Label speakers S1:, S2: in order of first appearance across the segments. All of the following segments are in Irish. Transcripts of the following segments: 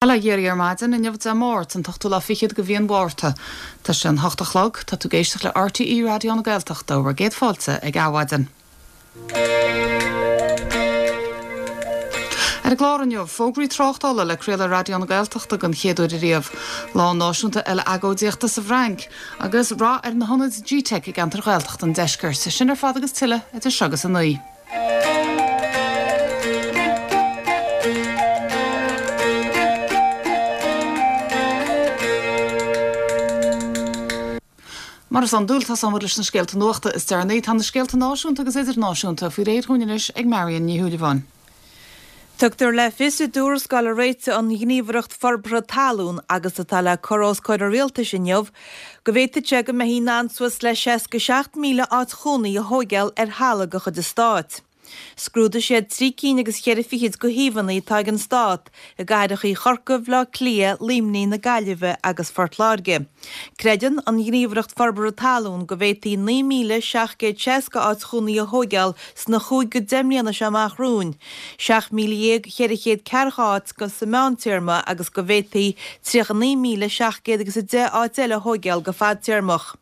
S1: Bail ó Dhia oraibh ar maidin, inniu Dé Máirt, an t-ochtú lá fichead de mhí an Mhárta. Tá sé an hocht a chlog, tá tú ag éisteacht le RTÉ Raidió na Gaeltachta, bhur gcéad fáilte ag Adhmhaidin. Ar an gclár inniu, fógraí tráchtála le craoladh ar Raidió na Gaeltachta den chéad uair ariamh, Lá Náisiúnta Uile-Agóidíochta sa bhFrainc, agus rath ar na hionaid G-Teic i gceantair Ghaeltachta an deiscirt. Sin ar fad agus tuilleadh idir seo agus a naoi. Mar is iondúil, tosóimid leis na scéalta nuachta is deireanaí. Tá na scéalta náisiúnta agus idirnáisiúnta faoi réir dhúinn anois ag Marion Ní Shúilleabháin.
S2: Tugtar le fios i dtuarascáil a réitigh an Ghníomhaireacht Forbartha Talún agus atá le cur os comhair an Rialtais inniu go bhféadfadh sé go mbeifí in ann suas le 67,000 áit chónaí a thóigeáil ar thalamh de chuid an Stáit. Scrúdaigh siad trí cinn agus cheithre fichid de shuíomhanna atá ag an Stát i gcathrachaí Chorca, Bhaile Átha Cliath, Luimnigh, na Gaillimhe agus Phort Láirge. Creideann an Ghníomhaireacht Forbartha Talún go bhféadfaí 9,760 áit chónaí a thóigeáil sna chúig go deich mbliana seo amach romhainn, 17,440 áit sa meántéarma agus go bhféadfaí 39,700 agus 10 áit eile a thóigeáil go fadtéarmach.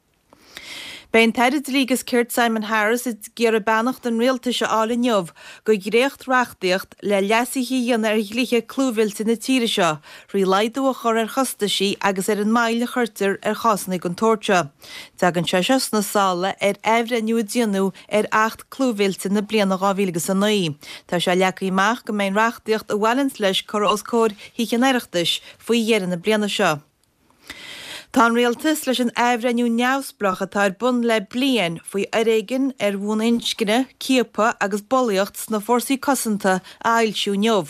S2: Beidh an tAire Dlí agus Cirt Simon Harris ag iarraidh beannacht an Rialtais a fháil inniu do dhréacht-reachtaíocht le leasuithe a dhéanamh ar dhlíthe clúmhillte na tíre seo thrí laghdú a chur ar chostaisí agus ar an moill a chuirtear ar chásanna den tsórt seo. Tagann sé seo sna sála ar athbhreithniú a déanadh ar Acht Clúmhillte na bliana 2009. Tá sé leagtha amach go mbeidh an reachtaíocht a bhaineanns leis curtha os comhair Thithe an Oireachtais faoi dheireadh na bliana seo. Tá an Rialtas leis an athbhreithniú neamhspleách atá ar bun le bliain faoi fhoréigean ar bhonn inscne, ciapadh agus bulaíocht sna fórsaí cosanta a fhoilsiú inniu.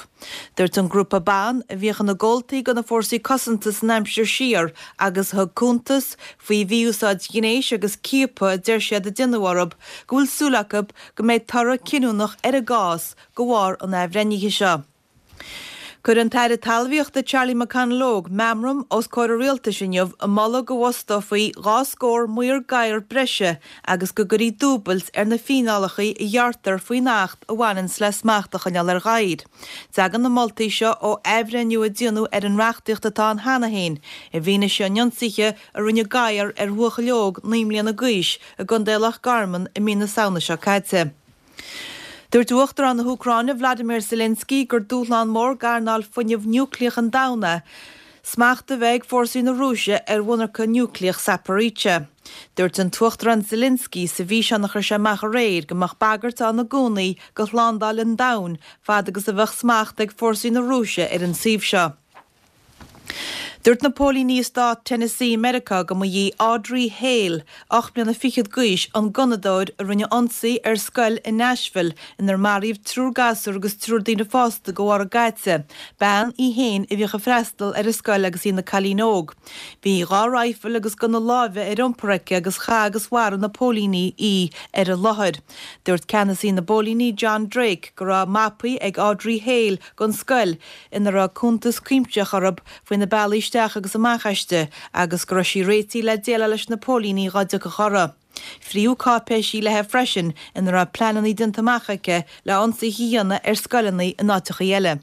S2: Dúirt an grúpa ban, a bhíodh ina gcomhaltaí de na fórsaí cosanta san aimsir siar agus a thug cuntas faoi mhí-úsáid ghnéis agus ciapadh a deir siad a déanadh orthu, go bhfuil súil acu go mbeidh toradh cinniúnach ar a gcás de bharr an athbhreithnithe seo. Cuirfidh an tAire Talmhaíochta Charlie McConalogue meamram os comhair an Rialtais inniu ag moladh go bhfostófaí 2 scór maor gadhar breise agus go gcuirfí dúbailt ar na fíneálacha a ghearrtar faoin Acht a bhaineanns le smacht a choinneáil ar ghadhair. Tagann na moltaí seo ó athbhreithniú a déanadh ar an reachtaíocht atá ann cheana féin i bhfianaise an ionsaithe a rinne gadhar ar bhuachaill óg 9 mbliana d'aois i gContae Loch Garman i mí na Samhna seo caite. Dúirt Uachtarán na hÚcráine Vladimir Zelensky gur dúshlán mór d'earnáil fuinnimh núicléach an domhain é smacht a bheith ag fórsaí na Rúise ar mhonarcha núicléach Zaporizhzhia. Dúirt an tUachtarán Zelensky sa bhfíseán a chuir sé amach aréir go mbeadh bagairt ann i gcónaí do shlándáil an domhain fad agus a bheadh smacht ag fórsaí na Rúise ar an suíomh seo. Dúirt na póilíní i stát Tennessee i Meiriceá go mba í Audrey Hale, 8 mbliana fichead d'aois, an gunnadóir a rinne ionsaí ar scoil i Nashville inar maraíodh triúr gasúr agus triúr daoine fásta de bharr a gcaite, bean í féin a bhíodh ag freastal ar an scoil agus í ina cailín óg. Bhí dhá raidhfil agus gunna láimhe ar iompar aici agus chaith agus mharaigh na póilíní í ar an láthair. Dúirt ceannasaí na bpóilíní John Drake go raibh mapaí ag Audrey Hale den scoil ina raibh cuntas cuimsitheach orthu faoi na bealaí isteach agus amach aisti agus go raibh sí réitithe le déileáil leis na póilíní dhá dtiocfadh orthu. Frítheadh cáipéisí léi freisin ina raibh pleananna déanta amach aici le ionsaithe a dhéanamh ar scoileanna in áiteachaí eile.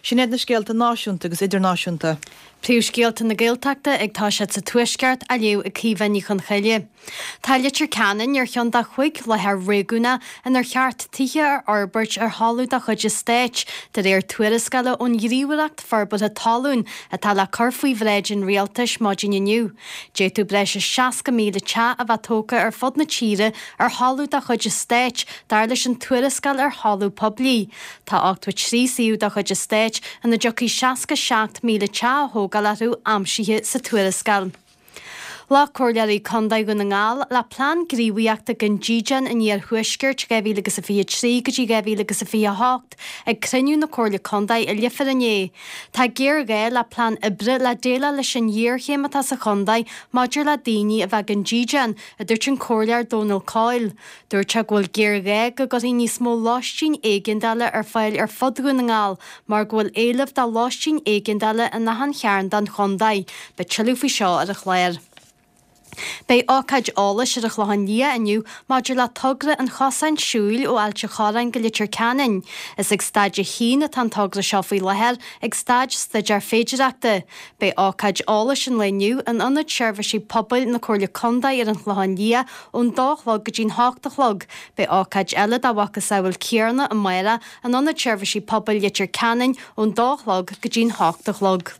S2: Sin iad na scéalta náisiúnta agus idirnáisiúnta.
S3: Príomhscéalta na Gaeltachta ag toiseacht sa Tuaisceart á léamh ag Caoimhe Ní Chonchoille. Tá Leitir Ceanainn ar cheann de chúig láthair réigiúnach inar cheart tithe a fhorbairt ar thalamh de chuid an Stáit, de réir tuarascála ón Ghníomhaireacht Forbartha Talún atá le cur faoi bhráid an Rialtais maidin inniu. D'fhéadfadh breis is 60,000 teach a bheith tógtha ar fud na tíre ar thalamh de chuid an Stáit, dar leis an tuarascáil ar thalamh poiblí. Tá 83 suíomh de chuid an Stáit ina dtiocfaidh 67,000 teach a thógáil orthu aimsithe sa tuarascáil. Ghlac Comhairleoirí Contae Dhún na nGall le Plean Gníomhaíochta don Dídean an Iarthuaiscirt 2023 go dtí 2028 ag cruinniú na Comhairle Contae i Leifear inné. Tá géarghá le plean oibre le déileáil leis an ghéarchéim atá sa chontae maidir le daoine a bheith gan dídean, a dúirt an Comhairleoir Dónal Coyle. Dúirt sé go bhfuil géarghá go gcuirfí níos mó lóistín éigeandála ar fáil ar fud Dhún na nGall mar go bhfuil éileamh do lóistín éigeandála in achan chearn den chontae. Beidh tuilleadh faoi seo ar an chlár. Beidh ócáid eolais ar an Chlochán Liath inniu maidir le togra an chosáin siúil ó Ailt an Chorráin go Leitir Ceanainn. Is ag staid a haon atá an togra seo faoi láthair, ag staid staidéar féidireachta. Beidh ócáid eolais an lae inniu in Ionad Seirbhísí Pobail na Comhairle Contae ar an Chlochán Liath ón dó a chlog go dtí'n hocht a chlog. Beidh ócáid eile dá mhacasamhail céanna amárach in Ionad Seirbhísí Pobail Leitir Ceanainn ón dó a chlog go dtí'n hocht a chlog.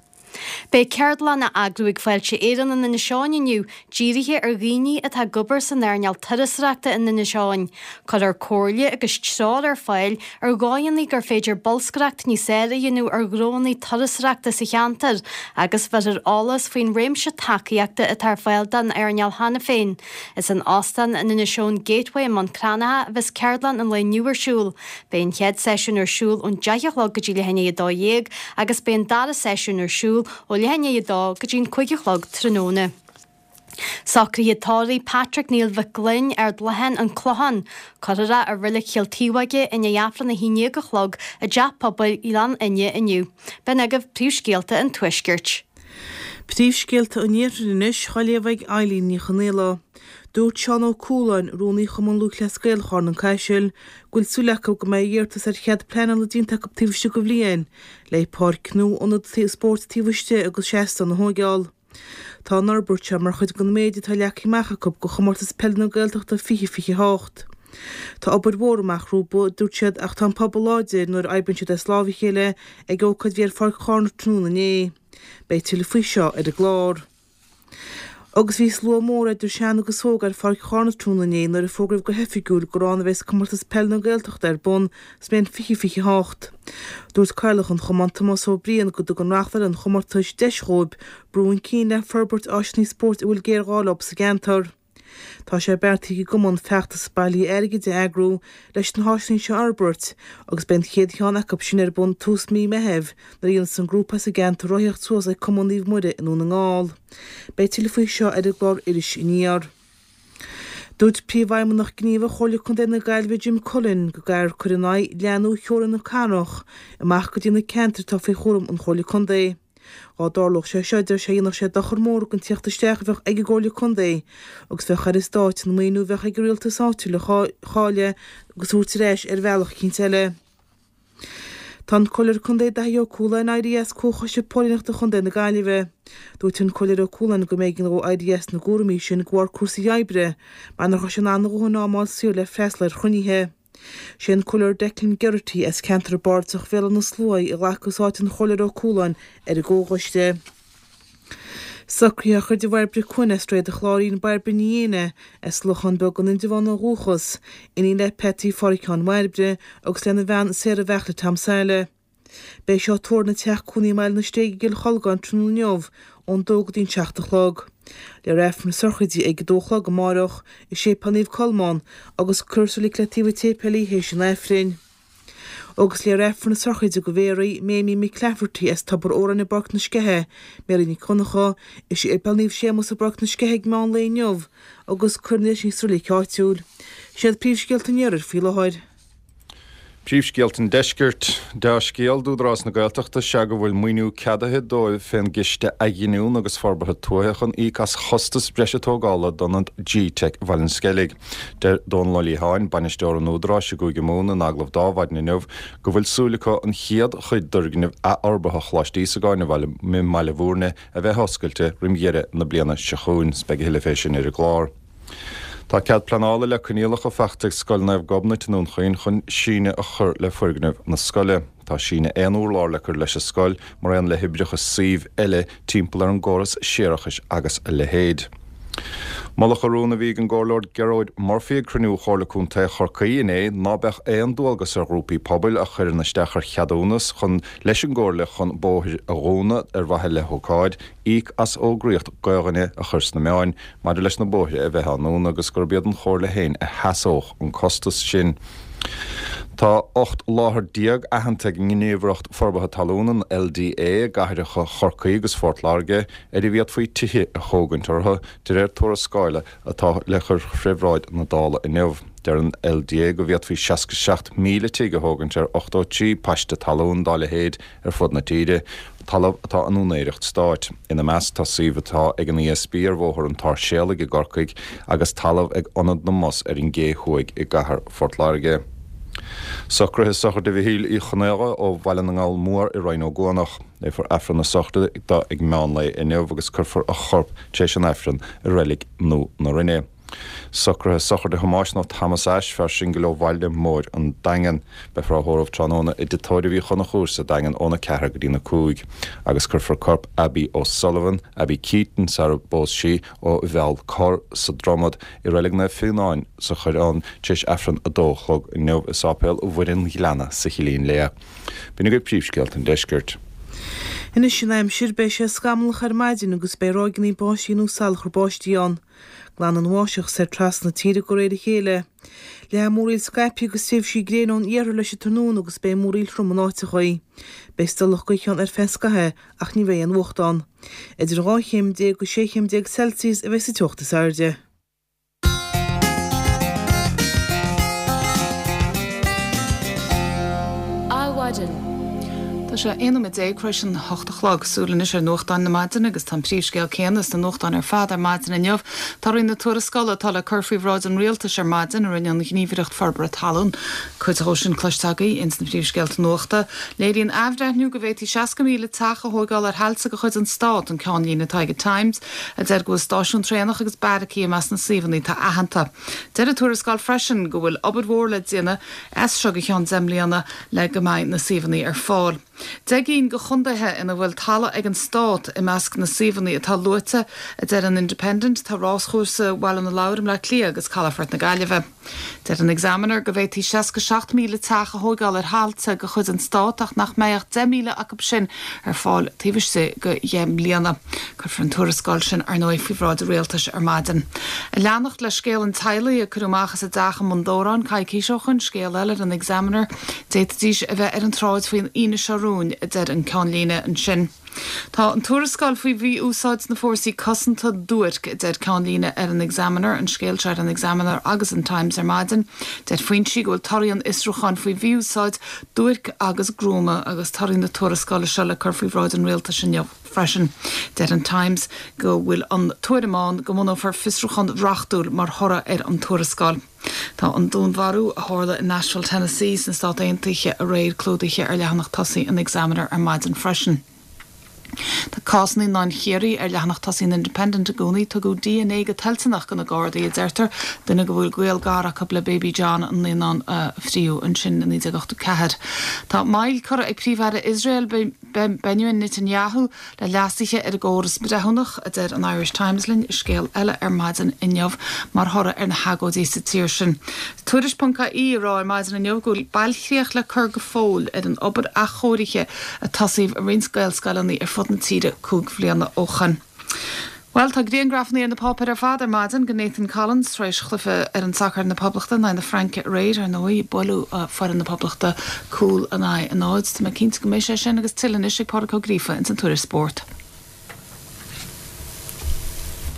S3: Beidh ceardlann á eagrú ag Fáilte Éireann in Inis Eoghain inniu, dírithe ar dhaoine atá ag obair san earnáil turasóireachta in Inis Eoghain. Cuirfear comhairle agus treoir ar fáil ar dhóigheanna gur féidir bolscaireacht níos fhearr a dhéanamh ar ghnóanna turasóireachta sa cheantar agus bheirfear eolas faoin réimse tacaíochta atá ar fáil don earnáil cheana féin. Is in Óstán an Inishowen Gateway i mBun Cranncha a bheas ceardlann an lae inniu ar siúl. Beidh an chéad seisiún ar siúl ón 10 a chlog go dtí leath i ndiaidh 12 agus beidh an dara seisiún ar siúl ó leath i ndiaidh 2 go dtí an 5 a chlog tráthnóna. Socruithe tórraimh Patrick Neil Mhic Gloinn, Ard Leatháin, An Clochán. Cuirfear é i Reilig Chill Taobhóige i ndiaidh Aifreann 11 a chlog i dTeach Pobail Ghleann Fhinne inniu. B'in agaibh príomhscéalta an Tuaiscirt.
S2: Príomhscéalta an Iarthair anois, á léamh ag Eileen Ní Chonaola. Dúirt Seán Ó Cualáin, Rúnaí Chumann Lúthchleas Gael Charn an Caisil, go bhfuil súil acu go mbeidh iarratas ar chead pleanála déanta acu taobh istigh de bhliain, le páirc nua ionad spóirt taobh istigh agus seastán a thóigeáil. Tá an fhorbairt seo mar chuid den méid atá leagtha amach acu do Chomórtas Peile na Gaeltachta 2028. Tá obair mhór amach rompu, a dúirt siad, ach tá an pobal láidir nuair a oibríonn siad as lámh a chéile ag ócáid a bhí ar Pháirc Charna tráthnóna inné. Beidh tuilleadh faoi seo ar an gclár. Agus bhí slua mór idir shean agus óg ar Pháirc Charna tráthnóna inné nuair a fógraíodh go hoifigiúil gur ann a bheas Comórtas Peile na Gaeltachta ar bun sa mbliain 2028. Dúirt Cathaoirleach an Chumainn Tomás Ó Briain go dtugann reáchtáil an chomórtais deis dhóibh brú chun cinn le forbairt áiseanna spóirt a bhfuil géarghá leo sa gceantar. Tá sé beartaithe ag an gcumann feachtas bailithe airgid a eagrú leis na háiseanna seo a fhorbairt agus beidh an chéad cheann acu sin ar bun tús mí Meithimh nuair a dhéanfas an grúpa as an gceantar rothaíocht suas ag Cumann Naomh Muire i nDún na nGall. Beidh tuilleadh faoi seo ar an gclár Iris Aniar. Dúirt Príomhfheidhmeannach Gníomhach Chomhairle Contae na Gaillimhe Jim Cullen go gcaithfear cur in aghaidh leathnú theorainn na cathrach amach go dtí na ceantair atá faoi chúram an Chomhairle Contae. Dá dtarlódh sé seo, deir sé, dhéanfadh sé dochar mór don tíocht isteach a bheadh ag an gComhairle Contae agus bheadh ar an Stát an maoiniú a bheadh ag an rialtas áitiúil a chailleadh agus a thabhairt ar ais ar bhealach eicínt eile. Tá an Comhairleoir Contae Daithí Ó Cualáin éirithe as Comhchoiste Póilíneachta Chontae na Gaillimhe. Dúirt an Comhairleoir Ó Cualáin go mb'éigean dhó éirí as na gcúraimí sin de bharr cúrsaí oibre mar nach raibh sé in ann a dhóthain am a fháil saor le freastal ar chruinnithe. Sé an Comhairleoir Declan Geraghty as ceantar bardasach Bhéal Átha na Sluaighe a ghlacfas áit an Chomhairleora Ó Cualáin ar an gComhchoiste. Socruithe á chur de Bhairbre Quinn as Droichead an Chláirín, Bairbre Ní Éanna as Lochán Beag in Indreabhán ó dhúchas, iníon le Peataí Pháraic Sheáin Bhairbre agus lena bhean Sarah Bheartla Tom Saile. Beidh seo á tórramh ina teach cónaí i mBaile na Stéige i gCill Cholgáin tráthnóna inniu ón dó go dtí an 7 a chlog. Léifear Aifreann na sochraide ag a dó a chlog amárach i Séipéal Naomh Colmán agus cuirfear sa reilig le taobh an tséipéil í théis an Aifrinn. Agus léifear Aifreann na sochraide do Mhéaraí, Méimí McClafferty as Tobar Odhráin i bPáirc na Sceiche, Méaraí Nic Dhonncha, i Séipéal Naomh Séamus i bPáirc na Sceiche ag meán lae inniu agus cuirfear í sa reilig áitiúil. Sin iad príomhscéalta an Iarthair faoi láthair.
S4: Príomhscéalta an Deiscirt. Dea-scéal d'Údarás na Gaeltachta is ea go bhfuil maoiniú ceadaithe dóibh fén gCiste Athghiniúna agus Forbartha Tuaithe chun íoc as chostas breise tógála d'ionad G-Teic Bhaile an Sceilg. Deir Dónal Ó Liatháin, bainisteoir an Údaráis i gCúige Mumhan in agallamh d'Adhmhaidin inniu go bhfuil súil acu an chéad chuid d'fhoirgneamh athfhorbartha Choláiste Íosagáin i mBaile Bhúirne a bheith oscailte roim dheireadh na bliana seo chugainn. Beidh a thuilleadh fé sin ar an gclár. Tá cead pleanála le coinníollacha faighte ag Scoil Naomh Gobnait i nDún Chaoin chun síneadh a chur le foirgneamh na scoile. Tá síneadh aon urlár le cur leis an scoil mar aon le hoibreacha suímh eile timpeall ar an gcóras séarachais agus a leithéid. Moladh an rún a bhí ag an gComhairleoir Gearóid Murphy ag cruinniú Chomhairle Contae Chorcaí inné ná beadh aon dualgas ar ghrúpaí pobail a chuireann isteach ar cheadúnas chun leis an gComhairle chun bóthair a dhúnadh ar mhaithe le hócáid íoc as fhógraíocht gaoithe a chur sna meáin maidir leis na bóithre a bheith á ndúnadh agus gurb iad an Chomhairle féin a sheasódh an costas sin. Tá 18 láthair aitheanta ag an nGníomhaireacht Forbartha Talún, an LDA, i gcathracha Chorcaí agus Phort Láirge ar a bhféadfaí tithe a thógaint orthu, de réir tuarascála atá le cur fé bhráid na Dála inniu. Deir an LDA go bhféadfaí 67,000 tigh a thógaint ar 83 paiste talún dá leithéid ar fud na tíre. Talamh atá in úinéireacht stáit. Ina measc tá suíomh atá ag an ESB ar Bhóthar an tSáirséalaigh i gCorcaigh agus talamh ag Ionad na mBus ar an gCé Thuaidh i gcathair Phort Láirge. Socruithe sochraide Mhichíl Uí Chonaola ó Bhaile na nGall Mór i Rinn Ó gCuanach. Léifear Aifreann na sochraide dó ag meán lae inniu agus cuirfear a chorp tar éis an Aifrinn i Reilig Nua na Rinne. Socruithe sochraide Thomáis nó Thomas Ashe, fear singil ó Bhaile Móir an Daingean. Beifear á thórramh tráthnóna i dTigh Tórraimh Uí Chonchúir sa Daingean óna 4 go dtína 5 agus cuirfear corp Abbie O'Sullivan, Abbie Keaton sara bpós sí, ó Mheall Corr sa Dromad i Reilig Naomh Fionán sa Choireán tar éis Aifreann a dó a chlog inniu i Sáipéal Mhuire an Ghleanna sa Chillín Liath. B'in agaibh príomhscéalta an deiscirt.
S2: Anois an aimsir, beidh sé scamallach ar maidin agus beidh ráigeanna báistí nó salachar báistí ann. Glanfaidh an bháisteach soir trasna na tíre de réir a chéile. Leathfaidh múraíl scaipthe agus tréimhsí gréine ón iarthar leis an tráthnóna agus beidh múraíl throm in áiteachaí. Beidh stolladh gaoithe ann ar feadh scaithimh ach ní bheidh aon fhuacht ann. Idir 12 chéim go 16 chéim Celsius a bheidh sa teocht is airde.
S1: Adhmhaidin. Tá sé 11 nóiméad tar éis an 8 a chlog. Súil anois ar nuachtáin na maidine agus tá an príomhscéal céanna sna nuachtáin ar fad ar maidin inniu. Torthaí na tuarascála atá le cur faoi bhráid an Rialtais ar maidin a rinne an Ghníomhaireacht Forbartha Talún. Cuid dhó sin cloiste agaibh ins na príomhscéalta nuachta. Léiríonn athbhreithniú go bhféadfaí 60,000 teach a thóigeáil ar thailte de chuid an Stát, an ceannlíne atá ag an Times, a deir go bhfuil stáisiún traenach agus beairicí i measc na suíomhanna atá aitheanta. Deir an tuarascáil freisin go bhfuil obair mhór le déanamh as seo go ceann 10 mbliana le go mbeidh na suíomhanna ar fáil. 10 gcinn de chontaetha ina bhfuil talamh ag an Stát i measc na suíomhanna atá luaite, a deir an Independent, tá ráschúrsa Bhaile na Lobhar i mBleá Cliath agus Calafort na Gaillimhe. Deir an Examiner go bhféadfaí 67,000 teach a thóigeáil ar thailte de chuid an Stát ach nach mbeidh ach 10,000 acu sin ar fáil taobh istigh de dheich mbliana. Cuirfear an tuarascáil sin, ar ndóigh, faoi bhráid an Rialtais ar maidin. Ag leanacht le scéal an teaghlaigh a cuireadh amach as a dteach i mBun Dobhráin coicís ó shoin, scéal eile ar an Examiner, d'fhéadfaidís a bheith ar an tsráid faoin Aoine seo romhainn, a deir an ceannlíne ansin. Tá an tuarascáil faoi mhí-úsáid sna fórsaí cosanta duairc, a deir ceannlíne ar an Examiner, an scéal seo ar an Examiner agus an Times ar maidin. Deir foinsí go bhfuil torthaí an fhiosrúcháin faoi mhí-úsáid duairc agus gruama agus torthaí na tuarascála seo le cur faoi bhráid an rialtais inniu freisin. Deir an Times go bhfuil an tuairim ann go mbunófar fiosrúchán reachtúil mar thoradh ar an tuarascáil. Tá an dúnmharú a tharla i Nashville, Tennessee sna Stát Aontaithe aréir clúdaithe ar leathanach tosaigh an Examiner ar maidin freisin. Tá cás Naíonáin Chiarraí ar leathanach tosaigh an Independent i gcónaí. Tugadh dna go toilteanach do na Gardaí, a deirtear, duine go bhfuil gaol gar acu le Baby John, an naíonán a fríodh ansin i 1984. Tá moill curtha ag Príomh-Aire Iosrael, Benjamin Netanyahu, le leasuithe ar an gcóras breithiúnach, a deir an Irish Times linn i scéal eile ar maidin inniu, mar thoradh ar na hagóidí sa tír sin. Tuairisc.ie ag rá ar maidin inniu go bhfuil bailchríoch le cur go fóill ar an obair athchóirithe a tosaíodh i roinnt Gaelscoileanna ar fud na tíre 5 bhliana ó shoin. Bhuel, tá griangrafanna ar na páipéir ar fad ar maidin de Nathan Collins tar éis chluiche fhoireann sacair na Poblachta in aghaidh na Fraince aréir, ar ndóigh. Buaileadh foireann na Poblachta cúl in aghaidh a náid. Tá mé cinnte go mbeidh sé sin agus tuilleadh anois ag Pádraic Ó Gríofa ins an Tuairisc Spóirt.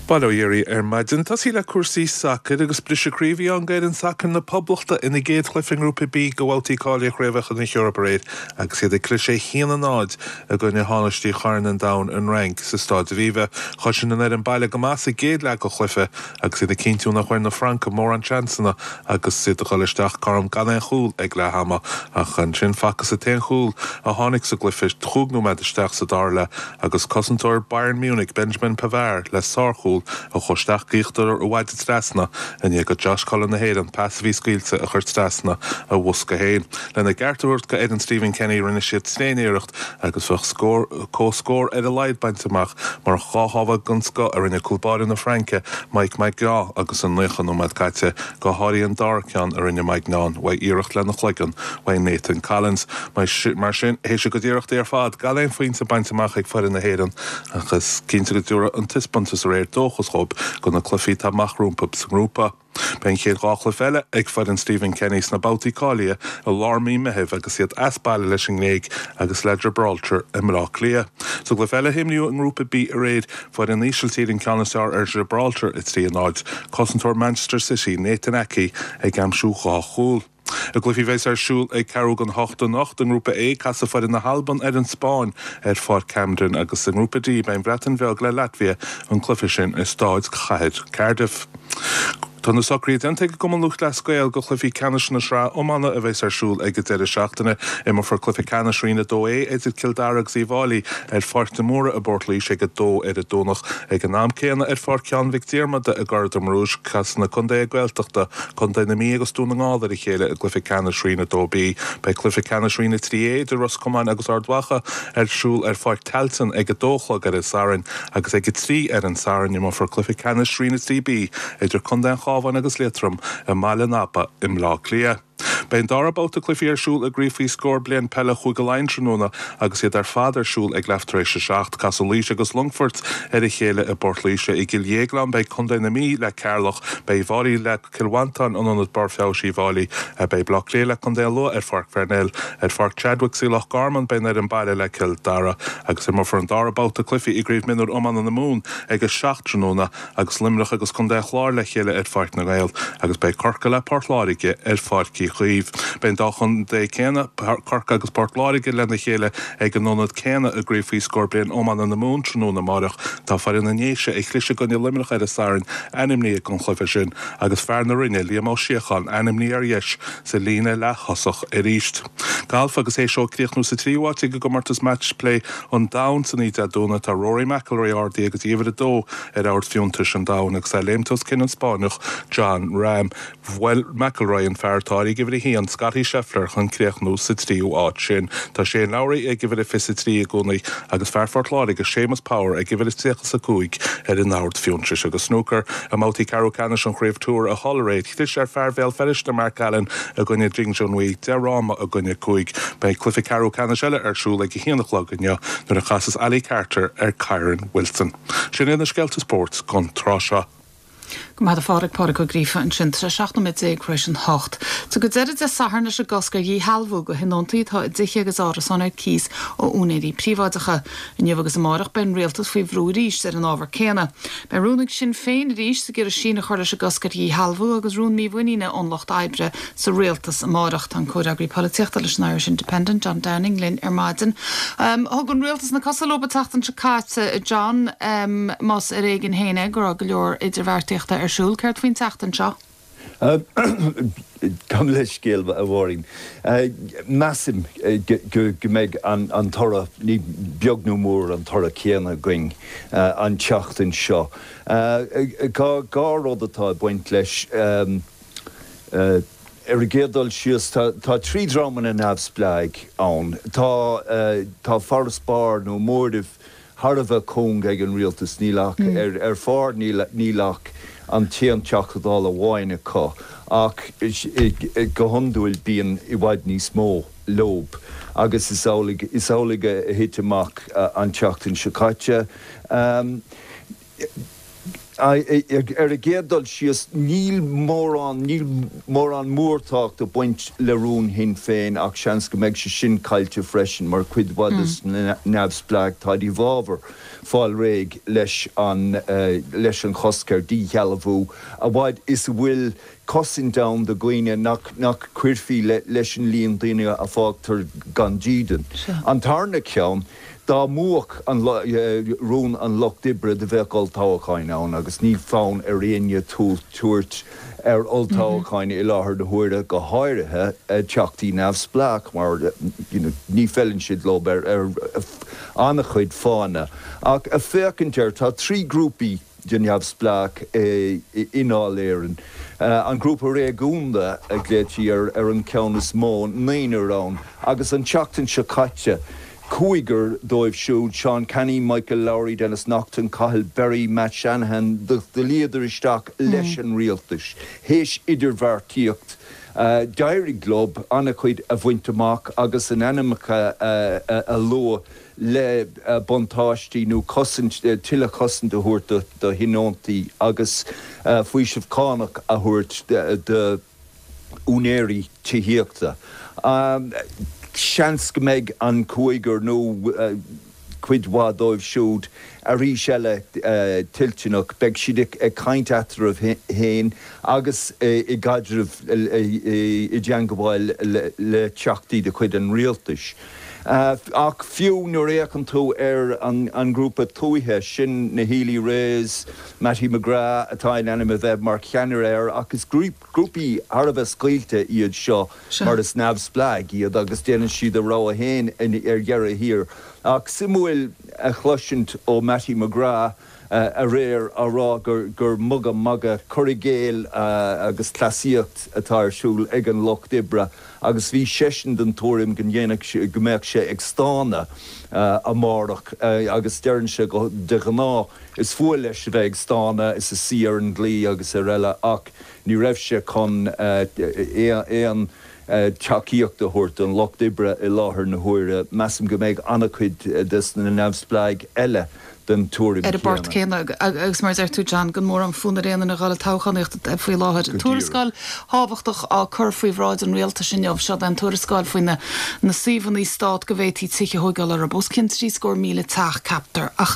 S5: Bail ó Dhia oraibh ar maidin. Tosaí le cúrsaí sacair agus briseadh croí a bhí ann d'fhoireann sacair na Poblachta ina gcéad chluiche i nGrúpa B de bhabhtaí cáilithe Chraobhacha na hEorpa aréir agus iad ag cliseadh 1-0 i gcoinne thánaistí Chorn an Domhain, an Fhrainc, sa Stáid Aviva. Chosain an fhoireann baile go maith sa gcéad leath den chluiche agus iad ag cinntiú nach bhfuair na Francaigh mórán seansanna agus iad ag dul isteach cothrom gan aon chúl ag leath ama. Ach ansin facthas an t-aon chúl a tháinig sa gcluiche chúig nóiméad isteach sa dara leath agus cosantóir Bayern Munich, Benjamin Pavard, le sárchúl a chuaigh isteach go íochtar a mhaide trasna i ndiaidh do Josh Cullen na hÉireann pas a bhí scaoilte a chur trasna a bhosca féin. Lena gceart a thabhairt do fhoireann Stephen Kenny rinne siad tréaniarracht agus bheadh scór comhscór ar a laghad bainte amach murach dhá shábháil den scoth a rinne cúl báire na Fraince, Mike Maignan agus an 90 nóiméad caite, go háirithe an dara ceann a rinne Maignan uaidh iarracht lena chloigeann uaidh Nathan Collins. Mar sin, théis a gcuid iarrachtaí ar fad, gan aon phointe bainte amach ag foireann na hÉireann, ach is cinnte go dtabharfaidh an taispeántas aréir dóchas dhóibh do na cluichí atá amach rompu sa ngrúpa. Beidh an chéad dhá chluiche eile ag foireann Stephen Kenny sna babhtaí cáilithe i lár mí Meithimh agus iad as baile leis an nGréig agus le Gibraltar i mBleá Cliath. Sa gcluiche eile a imríodh i nGrúpa B aréir, Fuair an Ísiltír an ceann is fearr ar Ghibraltar, 3-0, cosantóir Manchester City, Nathan Aké, ag aimsiú dhá chúl. I gcluichí a bheas ar siúl ag ceathrú don hocht anocht, i nGrúpa A, casfaidh foireann na hAlban ar an Spáinn ar Pháirc Hampden agus i nGrúpa D beidh an Bhreatain Bheag le Laitvia, an cluiche sin i Stáid Chathair Cardiff. Tá na socruithe déanta ag an gCumann Lúthchleas Gael do chluichí ceannais na sraithe iomána a bheas ar siúl ag an deireadh seachtaine. Imreofar cluiche ceannais Roinn 2A idir Cill Dara agus Uíbh Fháilí ar Pháirc de Mórdha i bPort Laoise ag 2 ar an Domhnach. Ag an am céanna ar Pháirc Sheáin Mhic Diarmada i gCora na Rón, casfaidh na contaetha Gaeltachta, Contae na Mí agus Dún na nGall ar a chéile i gcluiche ceannais Roinn 2B. Beidh cluiche ceannais Roinn 3A idir Ros Comáin agus Ard Mhacha ar siúl ar Pháirc Tailteann ag 2 a chlog ar an Satharn. Agus ag 3 ar an Satharn imreofar cluiche ceannais Roinn 3B idir Contae an Chabháin agus Liatroim i mBaile an Aba i mBleá Cliath. Beidh an dara babhta cluichí ar siúl i gCraobh faoi Scór Bliain Peile Chúige Laighean tráthnóna agus iad ar fad ar siúl ag leath tar éis a 7. Casfaidh Laois agus Longfort ar a chéile i bPort Laoise. I gCill Dhéagláin beidh Contae na Mí le Ceatharlach, beidh Uíbh Fhailí le Cill Mhantáin in Ionad Barr Feabhais Uíbh Fhailí. Beidh Baile Átha Cliath le Contae an Lú ar Pháirc Pharnell. Ar Pháirc Chadwicks i Loch Garman beidh an fhoireann baile le Cill Dara agus imreofar an dara babhta cluichí i gCraobh Mionúr Iomána na Mumhan ag 7 tráthnóna agus Luimneach agus Contae an Chláir le chéile ar Pháirc na nGael agus beidh Corcaigh le Port Láirge ar Pháirc Uí Chaoimh. Beidh an dá chontae céanna, Corcaigh agus Port Láirge, lena chéile ag an ionad céanna i gCraobh faoi Scór Bliain Iomána na Mumhan tráthnóna amáireach. Tá foireann na nDéise a chlis i gcoinne Luimneach ar an Satharn ainmnithe don chluiche sin agus fear na Rinne, Liam Ó Síocháin, ainmnithe ar dheis sa líne leath-thosach arís. Galf Agus théis dó críochnú sa tríú háit ag an gcomórtas Match Play an Domhain san oíche Dé Domhnaigh, tá Rory McIlroy ardaithe go dtí uimhir a dó ar ord fiúntais an domhain agus é ag léimt os cionn an Spáinneach Jon Rahm. Bhuail McIlroy an fear atá ag uimhir a haon, Scottie Scheffler, chun críochnú sa tríú háit sin. Tá Shane Lowry ag uimhir a 23 i gcónaí agus fear Phort Láirge, Séamus Power, ag uimhir a 35 ar an ord fiúntais. Agus snúcar, i mbabhtaí ceathrú ceannais an Chraobh Tour i Hull aréir, chlis ar fear Bhéal Feirste, Mark Allen, i gcoinne Ding Junhui, 10 fhráma i gcoinne 5. Beidh cluiche ceathrú ceannais eile ar siúl ag a haon a chlog inniu nuair a chasas Ali Carter ar Kyren Wilson. Sin iad na scéalta spóirt don tráth seo.
S1: Go maith a Phádraig, Pádraig Ó Gríofa ansin. Tá sé 17 nóiméad tar éis an hocht. Tugadh deireadh Dé Sathairn leis an gcosc ar dhíshealbhú do thionóntaí atá i dtithe agus árasáin ar cíos ó úinéirí príobháideacha. Inniu agus amárach beidh an rialtas faoi bhrú arís ar an ábhar céanna. Beidh rún ag Sinn Féin arís ag iarraidh síneadh a chur leis an gcosc ar dhíshealbhú agus rún mímhuiníne ón Lucht Oibre sa rialtas amárach. Tá an Comhfhreagraí Polaitíochta leis an Irish Independent, John Downing, linn ar maidin. Thug an rialtas na cosa leo an tseachtain seo caite, John, más ar éigean féin é go raibh go leor idirbheartaíochta ar siúl. Céard faoin tseachtain seo?
S6: Gabh mo leithscéal, a Mháirín. Measaim go mbeidh an toradh, ní beag nó mór an toradh céanna againn an tseachtain seo. Dhá rud atá ag baint leis. Ar an gcéad dul síos, tá trí dhreamanna neamhspleáigh ann. Tá tá farasbarr nó móramh thar a bheith cúng ag an rialtas, níl ach, ar phár, níl ach an t-aon Teachta Dála amháin acu, ach go hiondúil bíonn i bhfad níos mó leob agus is amhlaidh is amhlaidh a thit amach an tseachtain seo caite. Ar an gcéad dul síos, níl mórán, níl mórán mórtábhacht ag baint le rún Shinn Féin ach seans go mbeidh sé sin caillte freisin mar cuid mhaith des na neamhspleáigh, táid i bhfabhar fáil réidh leis an, leis an chosc ar dhíshealbhú, a fhad is a bhfuil cosaint ann do dhaoine nach, nach cuirfí leis an líon daoine a fágtar gan dídean. An tarna ceann. Dá mbuafadh an rún an Lucht Oibre do bheadh olltoghcháin ann agus níl fonn ar éinne tabhairt ar olltoghcháin i láthair na huaire, go háirithe teachtaí neamhspleách mar ní feileann siad leo ar an-chuid fáthanna. Ach féachaint air, tá 3 grúpaí de neamhspleách i nDáil Éireann. An grúpa réigiúnda a ghlaoití ar an cheann is mó, naonúr ann, agus an tseachtain seo caite, cúigear dóibh siúd, Seán Canney, Michael Lowry, Denis Naughten, Cathal Berry, Matt Shanahan, do luíodar isteach leis an rialtas théis idirbheartaíocht. D'éirigh leo an-chuid a bhaint amach agus a n-ainmneacha a lua le buntáistí nó cosaint, tuilleadh cosaint a thabhairt do thionóntaí agus faoiseamh cánach a thabhairt d'úinéirí tithíochta. Seans go mbeidh an cúigear nó. cuid mhaith dóibh siúd arís eile toilteanach, beidh siad ag caint eatarthu féin agus i gcaidreamh, i dteangabháil le teachtaí de chuid an rialtais. Ach fiú nuair a fhéachann tú ar an ngrúpa tuaithe, sin na Healy-Raes, Mattie McGrath atá in ainm a bheith mar cheannaire air, ach is grúpaí thar a bheith scaoilte iad seo mar is neamhspleáigh iad agus déanann siad a rogha féin ar dheireadh thiar. Ach suimiúil a chloisint ó Mattie McGrath aréir á rá gur mugadh magadh, cur i gcéill agus cleasaíocht atá ar siúl ag an Lucht Oibre agus bhí seisean den tuairim go ndéanfadh, go mbeadh sé ag stánadh amárach agus deireann sé go, de ghnáth is fuath leis a bheith ag stánadh is a suí ar an gclaí agus ar eile ach ní raibh sé chun aon tacaíocht a thabhairt don Lucht Oibre i láthair na huaire. Measaim go mbeidh an-chuid des na neamhspleáigh eile den tuairim
S1: ar an bport
S6: chéanna.
S1: céanna agus mar a deir tú John, gan mórán fonn ar aon duine a dhul ag toghchánaíocht faoi láthair. Tuarascáil thábhachtach á cur faoi bhráid an rialtais inniu. Seo é an tuarascáil faoi na na suíomhanna stát go bhféadfaí tithe a thóigeáil orthu. Os cionn 73,000 teach, ceaptar. Ach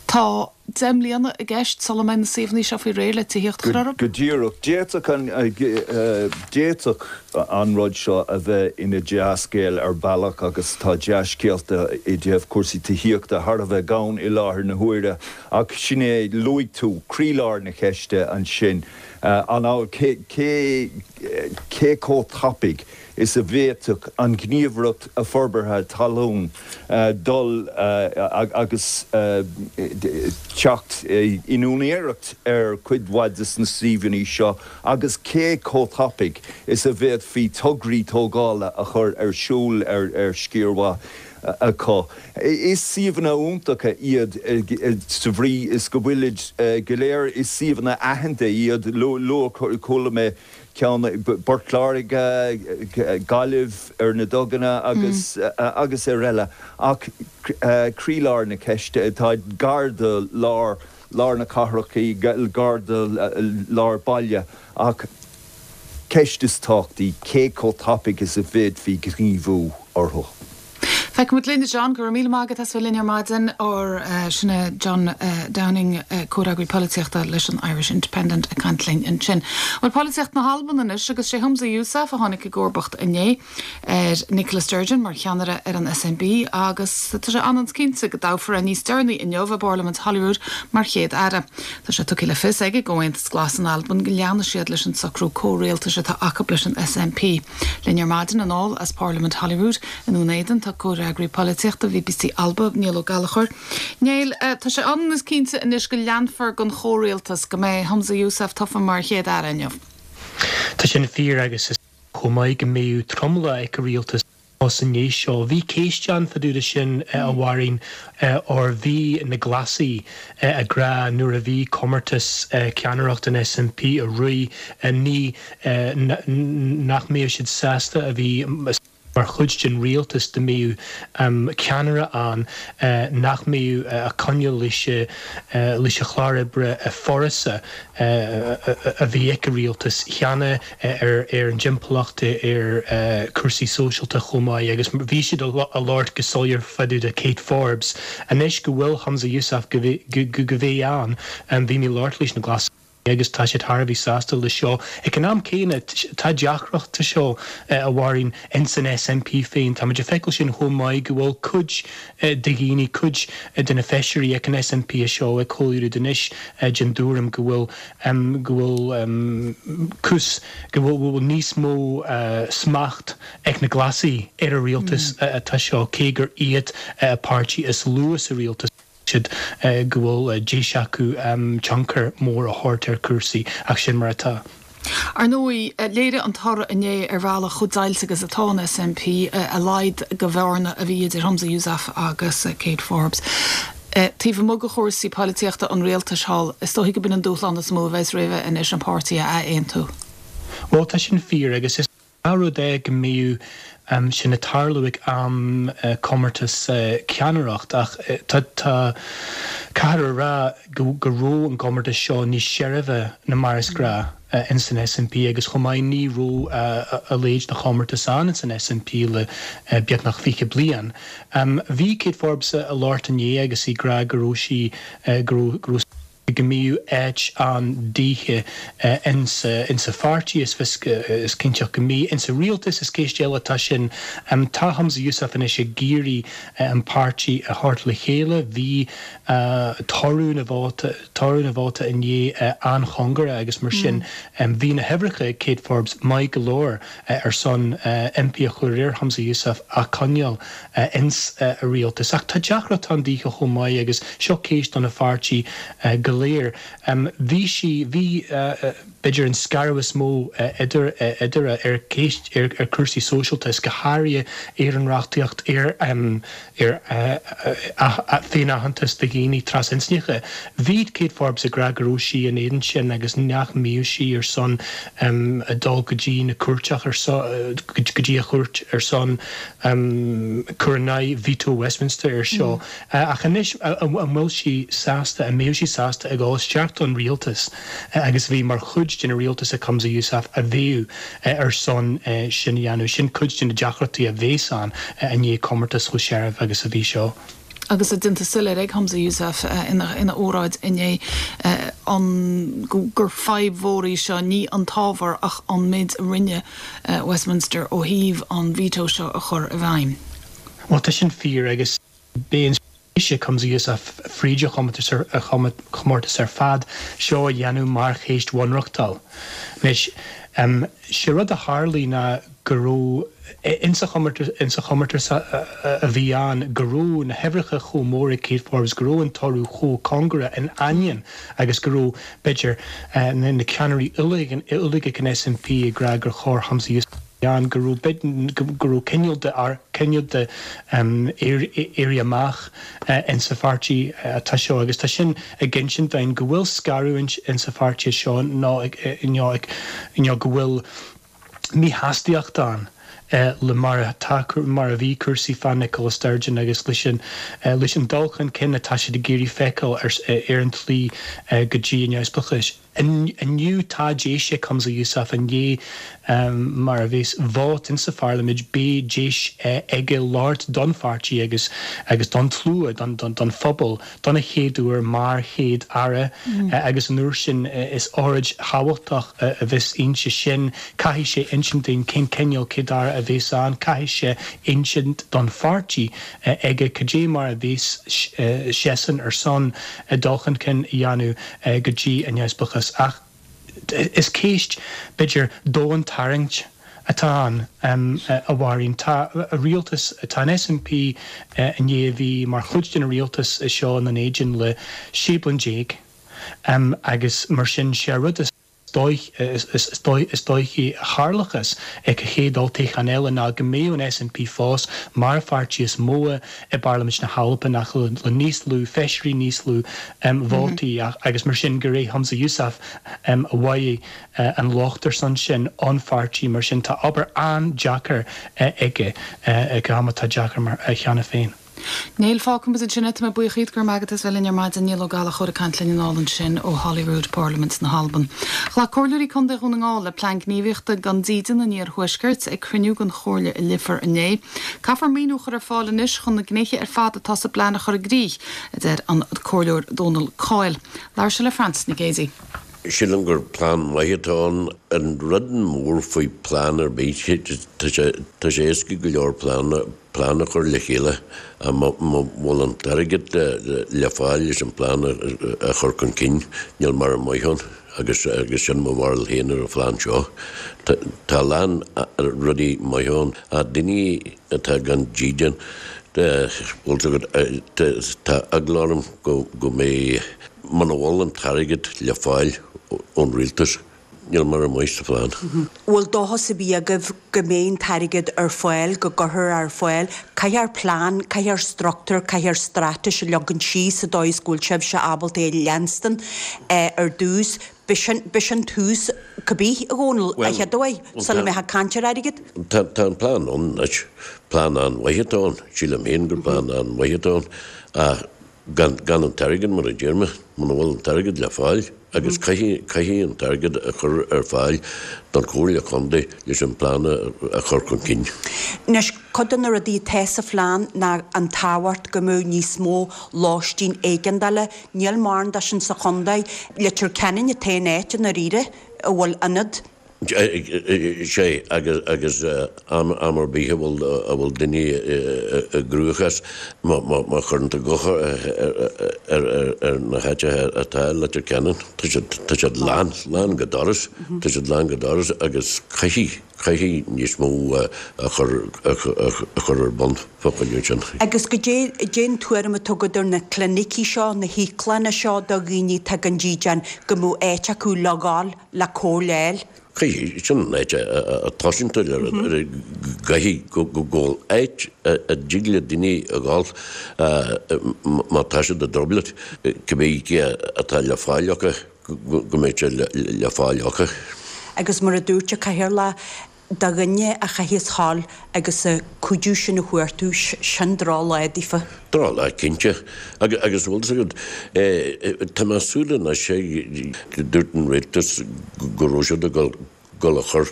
S1: tá 10 mbliana i gceist sula mbeidh na suíomhanna seo faoi réir le tithíocht a chur orthu.
S6: Go díreach. D'fhéadfadh an, d'fhéadfadh an rud seo a bheith ina dea-scéal ar bhealach agus tá dea-scéalta i dtaobh cúrsaí tithíochta thar a bheith gann i láthair na huaire ach sin é, luaigh tú croílár na ceiste ansin, an, cé, cé, cé chomh tapaidh is a bhféadfadh an Ghníomhaireacht Forbartha Talún dul agus teacht in úinéireacht ar chuid mhaith de na suíomhanna seo agus cé chomh tapaidh is a bhféadfaí tograí tógála a chur ar siúl ar sciar mhaith acu. Is suíomhanna iontacha iad sa bhrí is go bhfuilid go léir, is suíomhanna aitheanta iad, luadh, chuala mé ceann i bPort Láirge, Gaillimh, ar na duganna agus agus ar eile ach croílár na ceiste, atá gar do lár lár na cathrach, gar do lár baile ach ceist is tábhachtaí, cé chomh tapaidh is a bhféadfaí gníomhú orthu?
S1: Feicfimid linn, a John. Go raibh míle maith agat as bheith linn ar maidin. Ár, sin é John Downing, comhfhreagraí polaitíochta leis an Irish Independent ag caint linn ansin. Bhuel, polaitíocht na hAlban anois agus sé Humza Yousaf a tháinig i gcomharbacht inné ar Nicola Sturgeon mar cheannaire ar an SNP agus tá sé ionann is cinnte go dtoghfar é níos deireanaí inniu i bParlaimint Holyrood mar Chéad-Aire. Tá sé tugtha le fios ag an gComhaontas Glas in Albain go leanfaidh siad leis an socrú comhrialtais atá acu leis an SNP. Linn ar maidin anall as Parlaimint Holyrood i nDún Éideann tá comhfhreagraí polaitíochta BBC Alba, Niall Ó Gallchóir. Niall, tá sé ionann is cinnte anois go leanfar den chomhrialtas, go mbeidh Humza Yousaf tofa mar Chéad-Aire inniu.
S7: Tá sin fíor agus is chomh maith go mbeadh tromlach ag an rialtas sa ndiaidh seo. Bhí céist ann fá dtaobh de sin, a Mháirín, óir bhí na Glasaigh ag rá nuair a bhí comórtas ceannaireacht an SNP a rith, ní nach mbeadh siad sásta a bheith mar chuid den rialtas dá mbeadh ceannaire ann nach mbeadh a coinneáil leis leis an chlár oibre furasta a bhí ag an rialtas cheana ar ar an dtimpeallacht, ar cúrsaí sóisialta chomh maith agus bhí siad a labhairt go soiléir fá dtaobh de Kate Forbes. Anois go bhfuil Humza Yousaf go go bheidh ann, bhí mé ag labhairt leis na Glasaigh. agus tá siad thar a bheith sásta le seo. Ag an am céanna, tá deacracht sa seo, a Mháirín, ins an SNP féin. Táimid ag feiceáil sin chomh maith go bhfuil cuid de dhaoine, cuid de na feisirí ag an SNP seo ag Holyrood anois den dtuairim go bhfuil, go bhfuil cúis, go bhfuil níos mó smacht ag na Glasaigh ar an rialtas atá seo, cé gur iad an páirtí is lú sa rialtas. siad go bhfuil deis acu tionchar mór a thabhairt ar chúrsaí, ach sin mar atá.
S1: Ar ndóigh, léirigh an toradh inné ar bhealach chomh deighilte agus atá an SNP, a laghad de bhearna a bhí idir Humza Yousaf agus Kate Forbes. Taobh amuigh de chúrsaí polaitíochta an rialtais thall, is dóichí go b'in an dúshlán is mó a bheas roimhe anois, an páirtí a ath-aontú.
S7: Bhuel, tá sin fíor agus is. Gnáth-rud é go mbíodh sin ag tarlú ag am comórtas ceannaireacht ach tá caithfear a rá go raibh an gcomórtas seo níos seirbhe ná mar is gnáth. ins an SNP agus chomh maith ní raibh a leithéid de chomórtas ann ins an SNP le beagnach 20 bliain. Bhí Kate Forbes ag labhairt inné agus í ag rá go raibh sí, go raibh, go raibh, go mbíodh áit ann daoithe insa pháirtí, is fios, is cinnteach go mbíodh insa rialtas, is ceist eile atá sin. Tá Humza Yousaf anois ag iarraidh an páirtí a thabhairt le chéile. Bhí toradh na vóta, toradh na vóta inné an-chóngarach agus mar sin bhí na huimhreacha ag Kate Forbes maith go leor ar son impí a chur ar Humza Yousaf a choinneáil ins a rialtas. Ach tá deacracht ann daoithe chomh maith agus seo ceist do na pháirtí go léir. Bhí sí, bhí b'fhéidir an scaradh is mó idir, idir ar cheist, ar chúrsaí sóisialta is go háirithe ar an reachtaíocht ar, ar féin-aitheantas do dhaoine trasinscneacha. Bhí Kate Forbes ag rá go raibh sí in éadan sin agus nach mbíodh sí ar son dul go dtí na cúirteach ar son, go dtí a chúirt ar son cur in aghaidh veto Westminster ar seo. Ach anois an bhfuil sí sásta, an mbeadh sí sásta ag dul isteach don rialtas agus bheith mar chuid den rialtas ag Humza Yousaf a bheadh ar son sin a dhéanamh? Sin cuid de na deacrachtaí a bheas ann i ndiaidh comórtas chomh searbh agus a bhí seo.
S1: Agus é déanta soiléir ag Humza Yousaf ina óráid inné an gur fadhb mhór í seo, ní an t-ábhar ach an méid a rinne Westminster ó thaobh an veto seo a chur i bhfeidhm.
S7: Bhuel, tá sin fíor agus beidh an spéis ag Humza Yousaf fríd an chomórtas ar fad seo a dhéanamh mar cheist bhunreachtúil. Anois, sé rud a tharlaigh ná go raibh, insa chomórtas a bhí ann, go raibh na huimhreacha chomh mór ag Kate Forbes, go raibh an toradh chomh cóngarach in ainneoin agus go raibh, b'fhéidir, na ceannairí uilig ag an SNP ag rá gur chóir Humza Yousaf ann, go raibh, go raibh cineál de, cineál de éirí amach insa pháirtí atá seo agus tá sin ag insint dúinn go bhfuil scaradh insa pháirtí seo nó nó go bhfuil míshástaíocht ann le mar atá, mar a bhí cúrsaí fá Nicola Sturgeon agus leis an, leis an dul chun cinn atá siad ag iarraidh feiceáil ar, ar an tslí go dtí an neamhspleáchas. Inniu tá deis ag Humza Yousaf i ndiaidh mar a bheas vóta insa pharlaimint, beidh deis aige labhairt don pháirtí agus agus don tslua, don, don, don phobal don chéad uair mar Chéad Aire agus an uair sin is óráid thábhachtach a bheas inti sin. Caithfidh sé insint dúinn cén cineál Céad Aire a bheas ann, caithfidh sé insint don pháirtí aige cad é mar a bheas seisean ar son dul chun cinn a dhéanamh go dtí an neamhspleáchas. Ach is ceist, b'fhéidir, domhaintarraingte atá ann, a Mháirín. Tá rialtas, tá an SNP i ndiaidh a bheith mar chuid den rialtas seo i nDún Éideann le 16 bliain agus mar sin sé an rud is is dóichí a tharlóchas ag an chéad olltoghchán eile ná go mbeadh an SNP fós mar an pháirtí is mó i bParlaimint na hAlban ach le níos lú feisirí, níos lú vótaí agus mar sin gur é Humza Yousaf a bhfaighidh an locht ar son sin ón pháirtí. Mar sin tá obair an-deacair aige ag am atá deacair mar cheana féin.
S1: Neil, fágfaidh muid ansin é. Tá mé buíoch díot, go raibh maith agat as bheith linn ar maidin. Neil Ó Gallchóir ag caint linn anall ansin ó Holyrood, Parlaimint na hAlban. Ghlac Comhairleoirí Contae Dhún na nGall le Plean Gníomhaíochta don Dídean an Iarthuaiscirt ag cruinniú den Chomhairle i Leifear inné. Caithfear maoiniú a chur ar fáil anois chun na gnéithe ar fad atá sa bplean a chur i gcrích, a deir an Comhairleoir Dónal Coyle. Labhair sé le Frances Nic Géadaigh.
S8: Sílim gur plean maith atá ann. An rud mór faoi plean ar bith, tá sé tá sé éasca go leor plean plean a chur le chéile ach má bhfuil an t-airgead le fáil leis an plean a chur chun cinn, níl mórán maith ann agus agus sin mo bharúil féin ar an phlean seo. Tá tá a lán rudaí maithe ann ach daoine atá gan dídean, bhfuil 's agat, tá eagla orm go go mbeidh Muna bhfuil an t-airgead le fáil ón rialtas, níl mórán maith sa phlean.
S9: Bhfuil dóchas ar bith agaibh go mbeidh an t-airgead ar fáil, go gcuirfear ar fáil? Caithfear plean, caithfear struchtúr, caithfear straitéis a leagan síos sa dóigh is go bhfuil sibhse ábalta é a leanstan ar dtús. B'shin, b'shin tús cibé, a Dhónaill, a chéaduair, sula mbeifeá ag caint ar airgead.
S8: Tá, tá an plean ann anois. Plean an-mhaith atá ann. Sílim féin gur plean an-mhaith atá ann. Ach gan, gan an t-airgead, mar a deir mé, muna bhfuil an t-airgead le fáil. agus caithfidh, caithfidh an t-airgead a chur ar fáil don Chomhairle Chontae leis an bplean a chur chun cinn.
S9: Anois, cuid de na rudaí atá sa phlean ná an tábhacht go mbeadh níos mó lóistín éigeandála, níl mórán de sin sa chontae. Leitir Ceanainn an t-aon áit i ndáiríre a bhfuil ionad.
S8: Sea, agus am ar bith a bhfuil duine i gcruachás, má chuireann tú guth ar na háiteacha atá i Leitir Ceanainn, tá siad lán, lán go doras, tá siad lán go doras agus caithfidh, caithfidh níos mó a chur, a chur ar bun fá choinne sin.
S9: Agus goidé, goidé an tuairim atá agat ar na clinicí seo, na híoclanna seo do dhaoine atá gan dídean, go mbeadh áit acu le dhul le cóir a fháil.
S8: Caithfidh, sin an áit a tosaíonn tú le rud, caithfidh go bhfuil áit a dtig le daoine a dhul má tá siad i dtrioblóid, cibé cé atá le fáil acu, go mbeidh sé le fáil acu.
S9: Agus mar a dúirt an Cathaoirleach, Do dhuine a chaitheas thall agus an cuidiú sin a chuartú, sin drochlá daofa.
S8: Drochlá, cinnte. Agus bhfuil fhios agat, tá mé ag súil anois, dúirt an rialtas go raibh siad ag dul a chur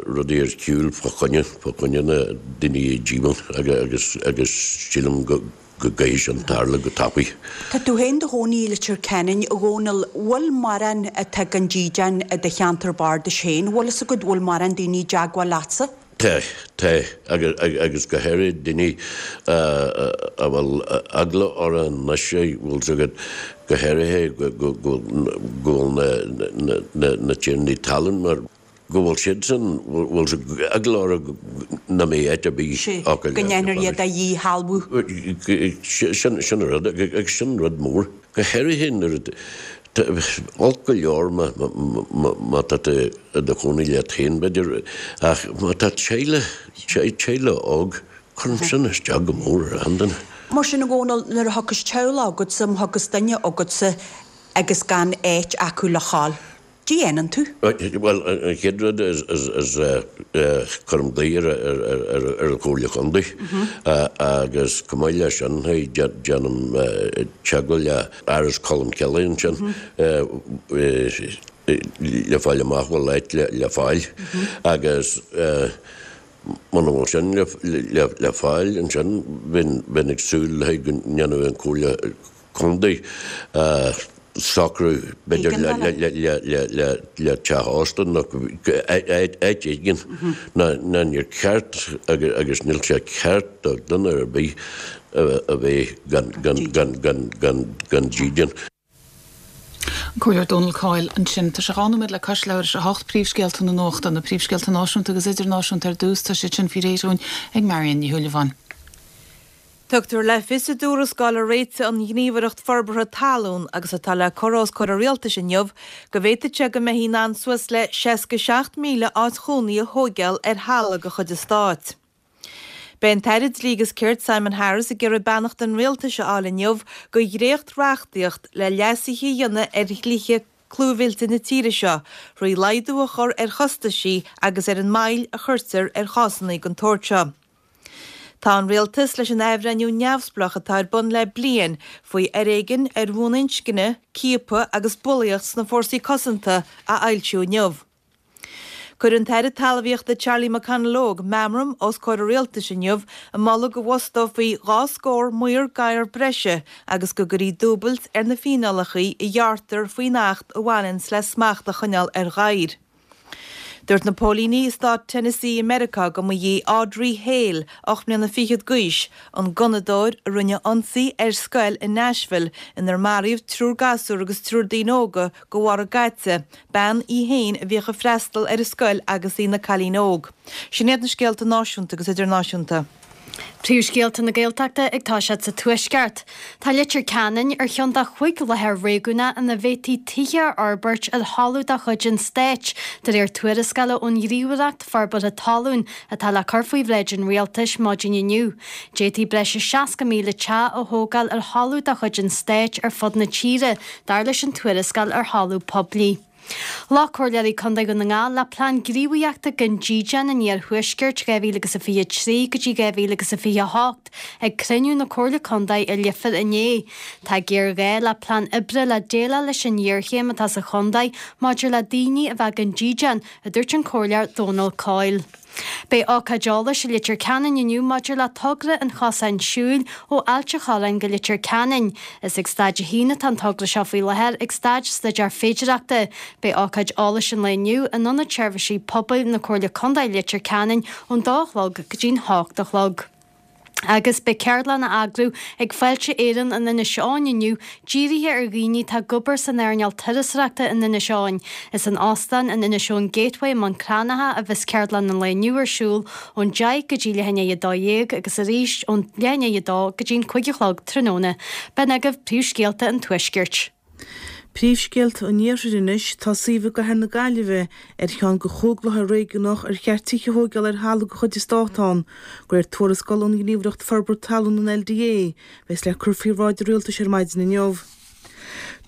S8: rudaí ar shiúl fá choinne, fá choinne na daoine i díomua agus agus sílim go go gcaithfidh sin tarlú go tapaidh.
S9: Tá tú féin i do chónaí i Leitir Ceanainn, a Dhónaill. Bhfuil mórán atá gan dídean i do cheantar bardais féin? Bhfuil fhios agat, bhfuil mórán daoine i dteagmháil leatsa?
S8: Tá, tá, agus go háirithe daoine a bhfuil eagla orthu anois, bhfuil fhios agat, go háirithe go bhfuil na tiarnaí talún mar. go bhfuil siadsan, bhfuil eagla orthu nach mbeidh áit ar bith acu
S9: le. Go ndéanfar iad a dhíshealbhú.
S8: Sin an rud, agus sin rud mór. Go háirithe nuair a, olc go leor má tá tú i do chónaí leat féin, b'fhéidir, ach má tá teaghlach, teaghlach óg, cuireann sin isteach go mór ar an duine.
S9: Mar sin, a Dhónaill, nuair a thiocfas teaghlach agatsa, má thiocfas duine agatsa agus gan áit acu le dhul, Goidé a dhéanann tú?
S8: Bhuel, an chéad rud is cuirim glao ar an Chomhairle Chontae agus chomh maith leis sin déanaim teagmháil le Áras Cholmcille ansin le fáil amach bhfuil áit le fáil agus muna bhfuil sin le fáil ansin bheinn ag súil le go ndéanfadh an Chomhairle Contae socrú, b'fhéidir, le teach ósta nó áit éigin ná níor cheart agus níl sé ceart do dhuine ar bith a bheith gan dídean.
S1: An Comhairleoir Dónal Coyle ansin. Tá sé 2 nóiméad le cois leathuair tar éis a 8, príomhscéalta na nuachta, na príomhscéalta náisiúnta agus idirnáisiúnta ar dtús, tá siad sin faoi réir dúinn ag Marion Ní Shúilleabháin.
S2: Tugtar le fios i dtuarascáil a réitigh an Ghníomhaireacht Forbartha Talún agus atá le cur os comhair an Rialtais inniu go bhféadfadh sé go mbeifí in ann suas le 67,000 áit chónaí a thóigeáil ar thalamh de chuid an Stáit. Beidh an tAire Dlí agus Cirt Simon Harris ag iarraidh beannacht an Rialtais a fháil inniu do dhréacht-reachtaíocht le leasuithe a dhéanamh ar dhlíthe clúmhillte na tíre seo thrí laghdú a chur ar chostaisí agus ar an moill a chuirtear ar chásanna den tsórt seo. Tá an Rialtas leis an athbhreithniú neamhspleách atá ar bun le bliain faoi fhoréigean ar bhonn inscne, ciapadh agus bulaíocht sna fórsaí cosanta a fhoilsiú inniu. Cuirfidh an tAire Talmhaíochta Charlie McConalogue meamram os comhair an Rialtais inniu ag moladh go bhfostófaí 2 scór maor gadhar breise agus go gcuirfí dúbailt ar na fíneálacha a ghearrtar faoin Acht a bhaineanns le smacht a choinneáil ar ghadhair. Dúirt na póilíní i stát Tennessee i Meiriceá go mba í Audrey Hale, 8 mbliana fichead d'aois, an gunnadóir a rinne ionsaí ar scoil i Nashville inar maraíodh triúr gasúr agus triúr daoine óga go bharra gcaite, bean í féin a bhíodh ag freastal ar an scoil agus í ina cailín óg. Sin iad na scéalta náisiúnta agus idirnáisiúnta.
S3: Príomhscéalta na Gaeltachta ag toiseacht sa Tuaisceart. Tá Leitir Ceanainn ar cheann de chúig láthair réigiúnach ina bhféadfaí tithe a fhorbairt ar thalamh de chuid an stáit, de réir tuarascála ón Ghníomhaireacht Forbartha Talún atá le cur faoi bhráid an Rialtais maidin inniu. D'fhéadfaí breis is 60,000 teach a thógáil ar thalamh de chuid an stáit ar fud na tíre, dar leis an tuarascáil ar thalamh poiblí. Ghlac Comhairleoirí Contae Dhún na nGall le Plean Gníomhaíochta don Dídean in Iarthuaisceart 2023 go dtí 2028 ag cruinniú na Comhairle Contae i Leifear inné. Tá géarghá le plean oibre le déileáil leis an ngéarchéim atá sa chontae maidir le daoine a bheith gan dídean, a dúirt an Comhairleoir Dónal Coyle. Beidh ócáid eolais i Leitir Ceanainn inniu maidir le togra an chosáin siúil ó Ailt a' Chorráin go Leitir Ceanainn. Is ag Staid 1 atá an togra seo faoi láthair, ag staid staidéar féidireachta. Beidh ócáid eolais an lae inniu in Ionad Seirbhísí Pobail na Comhairle Contae Leitir Ceanainn ón dó a chlog go dtí'n hocht a chlog. Agus beidh ceardlann á eagrú ag Fáilte Éireann in Inis Eoghain inniu, dírithe ar dhaoine atá ag obair san earnáil turasóireachta in Inis Eoghain. Is in Óstán an Inishowen Gateway i mBun Cranncha a bheas ceardlann an lae inniu ar siúl ón 10 go dtí leath i ndiaidh 12 agus arís ón leath i ndiaidh 2 go dtí'n 5 a chlog tráthnóna. B'in agaibh príomhscéalta an Tuaiscirt.
S2: Príomhscéalta an Iarthair anois, tá suíomh i gcathair na Gaillimhe ar cheann de chúig láthair réigiúnach ar cheart tithe a thóigeáil ar thalamh de chuid an Stáit ann, de réir tuarascáil ón Ghníomhaireacht Forbartha Talún, an LDA, a bheas le cur faoi bhráid an Rialtais ar maidin inniu.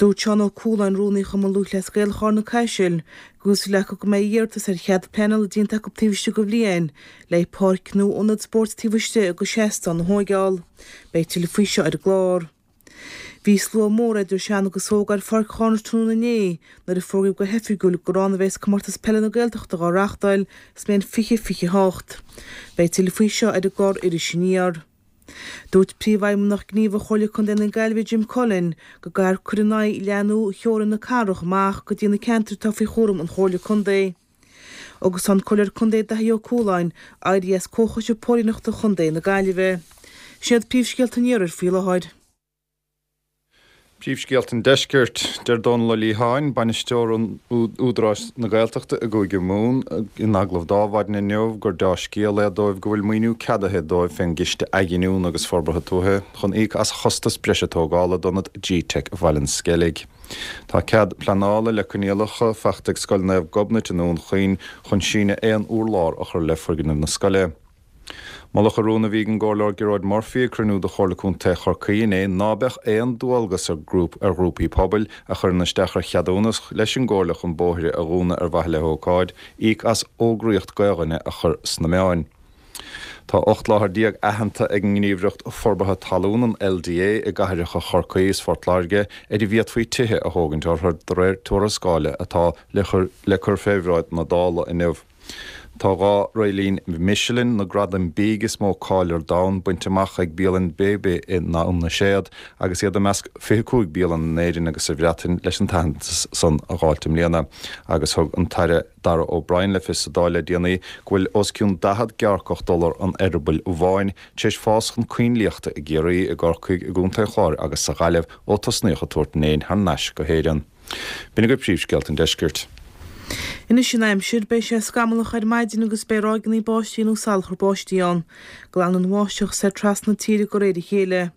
S2: Dúirt Seán Ó Cualáin, Rúnaí Chumann Lúthchleas Gael Charna Caisil, go bhfuil súil acu go mbeidh iarratas ar chead pleanála déanta acu taobh istigh de bhliain, le páirc nó ionad spóirt taobh istigh de seastán a thóigeáil. Beidh tuilleadh faoi seo ar an gclár. Bhí slua mór idir sean agus óg ar Pháirc Charna tráthnóna inné nuair a fógraíodh go hoifigiúil gur ann a bheas Comórtas Peile na Gaeltachta dhá reáchtáil sa mbliain 2028. Beidh tuilleadh faoi seo ar an gclár Iris Aniar. Dúirt Príomhfheidhmeannach Gníomhach Chomhairle Contae na Gaillimhe Jim Cullen go gcaithfear cur in aghaidh leathnú theorainn na cathrach amach go dtí na ceantair atá faoi chúram an Chomhairle Contae. Agus tá an Comhairleoir Contae Daithí Ó Cualáin éirithe as Comhchoiste Póilíneachta Chontae na Gaillimhe. Sin iad príomhscéalta an Iarthair faoi láthair.
S4: Príomhscéalta an Deiscirt, Deir Dónal Ó Liatháin, bainisteoir Údarás na Gaeltachta i gCúige Mumhan, in agallamh dó Adhmhaidin inniu gur deá-scéal é dóibh go bhfuil maoiniú ceadaithe dóibh fén gCiste Athghiniúna agus Forbartha Tuaithe chun íoc as chostas breise tógála d'ionad G-Teic Bhaile an Sceilg. Tá cead pleanála le coinníollacha faighte ag Scoil Naomh Gobnait i nDún Chaoin chun síneadh aon urlár a chur le foirgneamh na scoile. Moladh i rún a bhí ag an gComhairleoir Gearóid Murphy ag cruinniú de Chomhairle Contae Chorcaí inné ná beadh aon dualgas ar ghrúpaí pobail a chuireann isteach ar cheadúnas leis an gComhairle chun bóithre a dhúnadh ar mhaithe le hócáid, íoc as fhógraíocht Gaoluinne a chur sna meáin. Tá 18 láthair aitheanta ag an nGníomhaireacht Forbartha Talún, an LDA, i gcathracha Chorcaí is Phort Láirge ar a bhféadfaí tithe a thógaint orthu, de réir tuarascáile atá le cur le cur fé bhráid na Dála inniu. Tá 2 réiltín Michelin, na gradaim bídh is mó cáil ar domhan, bainte amach ag bialann Bébé i nDún na Séad agus iad i measc 25 bialann in Éirinn agus sa Bhreatain leis an t-aitheantas san a dh'fháilt i mbliana agus thug an tAire Darragh O'Brien le fios sa Dáil le déanaí go bhfuil os cionn 40 gearrcach diolar an eireabaill bháin tar éis fás chun coinlíochta i gCiarraí, i gCorcaigh, i gContae an Chláir agus sa Ghaillimh ó tosnaíodh ag tabhairt an éin thar n-ais go hÉireann. B'in agaibh príomhscéalta an deiscirt.
S2: Anois an aimsir, beidh sé scamallach ar maidin agus beidh ráigeanna báistí nó salachar báistí ann. Glanfaidh an bháisteach soir trasna na tíre de réir a chéile.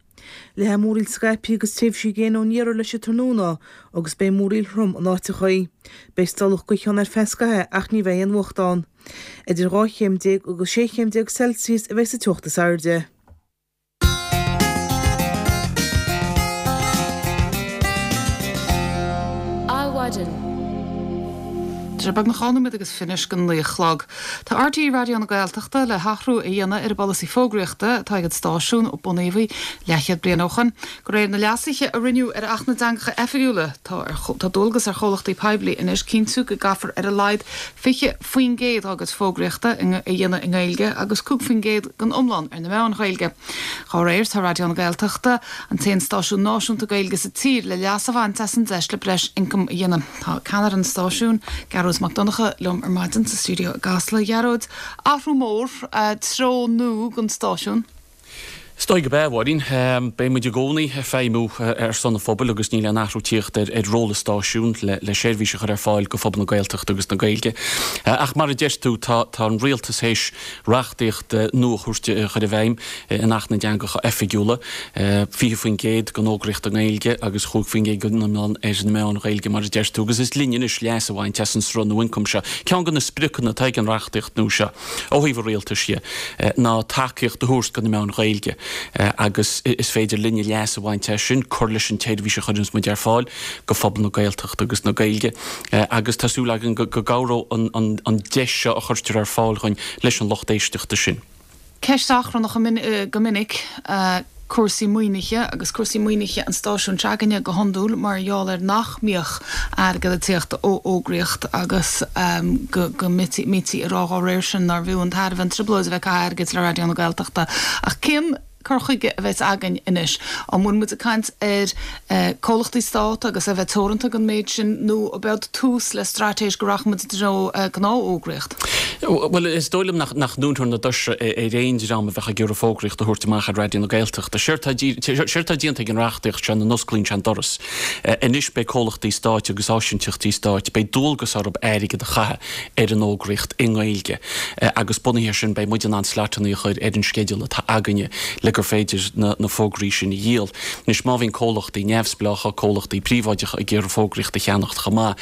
S2: Leathfaidh múraíl scaipthe agus tréimhsí gréine ón iarthar leis an tráthnóna agus beidh múraíl throm in áiteachaí. Beidh stolladh gaoithe ann ar feadh scaithimh ach ní bheidh aon fhuacht ann. Idir 12 chéim agus 16 chéim Celsius a bheidh sa teocht is airde.
S1: Adhmhaidin. Tá sé beagnach 2 nóiméad agus fiche go 9 a chlog. Tá RTÉ Raidió na Gaeltachta le hathrú a dhéanamh ar an bpolasaí fógraíochta atá ag an stáisiún ó bunaíodh í leathchéad bliain ó shoin. De réir na leasuithe a rinneadh ar Acht na dTeangacha Oifigiúla, tá tá dualgas ar chomhlachtaí poiblí anois cinntiú go gcaithfear ar a laghad 20% dá gcuid fógraíochta a dhéanamh i nGaeilge agus 5% den iomlán ar na meáin Ghaeilge. Dá réir, tá Raidió na Gaeltachta, an t-aon stáisiún náisiúnta Gaeilge sa tír, le leas a bhaint as an deis le breis ioncaim a dhéanamh. Tá ceannaire an stáisiúin, Gearóid Mac Donncha, liom ar maidin sa stiúideo i gCasla. A Ghearóid, athrú mór, treo nua don stáisiún.
S10: Is dóigh gurb ea, a Mháirín. Beidh muid i gcónaí ag feidhmiú ar son an phobail agus níl aon athrú tíocht ar ról an stáisiúin le seirbhís a chur ar fáil go phobal na Gaeltachta agus na Gaeilge. Ach mar a deir tú, tá an rialtas théis reachtaíocht nua a thabhairt a chur i bhfeidhm in Acht na dTeangacha Oifigiúla, 20% den fhógraíocht i nGaeilge agus 5% den iomlán ar na meáin Ghaeilge mar a deir tú, agus is linn anois leas a bhaint as an sruth nua ioncaim seo. Ceann de na spriocanna atá ag an reachtaíocht nua seo ó thaobh an rialtais dhe ná tacaíocht a thabhairt do na meáin Ghaeilge. Agus is féidir linne leas a bhaint as sin, cur leis an tseirbhís a chuireanns muid ar fáil go phobal na Gaeltachta agus na Gaeilge. Agus tá súil againn go gcabhróidh an deis seo a chuirtear ar fáil dhuinn leis an lucht éisteachta sin.
S1: Ceist achrannach go minic, cúrsaí maoinithe agus cúrsaí maoinithe an stáisiúin se'againne go hiondúil mar gheall ar nach mbíodh airgead ag tíocht ó fhógraíocht agus go mbítí ag rá dá réir sin nárbh fhiú an tairbhe an trioblóid a bheith ag caitheamh airgid le Raidió na Gaeltachta. Ach cén cur chuige a bheas againn anois? An bhfuil muid ag caint ar comhlachtaí stát agus a bheith teoranta don méid sin nó ab eod tús le straitéis go rachaidh muid i dtreo gnáthfhógraíocht?
S10: Bhuel, is dóigh liom nach ndúnfar na doirse ar aon dream a bheadh ag iarraidh fógraíocht a thabhairt amach ar Raidió na Gaeltachta. Séard atá déanta ag an reachtaíocht seo ná go n-osclaíonn sé an doras. Anois beidh comhlachtaí stáit agus áisinteachtaí stáit, beidh dualgas orthu airgead a chaitheamh ar an fhógraíocht i nGaeilge agus bunaithe air sin beidh muid in ann slotanna a chur ar an sceideal atá againne le gur féidir na fógraí sin a dhíol. Anois má bhíonn comhlachtaí neamhspleácha, comhlachtaí príobháideacha ag iarraidh fógraíocht a cheannacht chomh maith,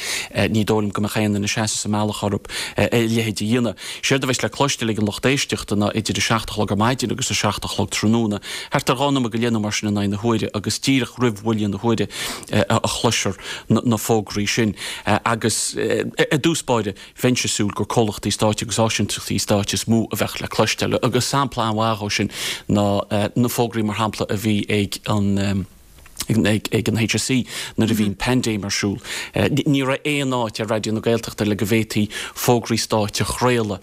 S10: ní dóigh liom go mbeadh aon duine ag seasamh sa mbealach orthu a leithéid a dhéanamh. Séard a bheas le cloisteáil ag an lucht éisteachta ná idir a 7 a chlog ar maidin agus a 7 a chlog tráthnóna, thart ar 2 nóiméad go leith nó mar sin in aghaidh na huaire agus díreach roimh bhuille na huaire a chloisfear na fógraí sin. Agus i dtús báire, bheinnse ag súil gur comhlachtaí stáit agus áisinteachtaí stáit is mó a bheadh le cloisteáil. Agus sampla an-mhaith dhó sin ná na fógraí, mar shampla, a bhí ag an ag an HSE nuair a bhí an paindéim ar siúl. Ní raibh aon áit ar Raidió na Gaeltachta le go bhféadfaí fógraí stáit a chraoladh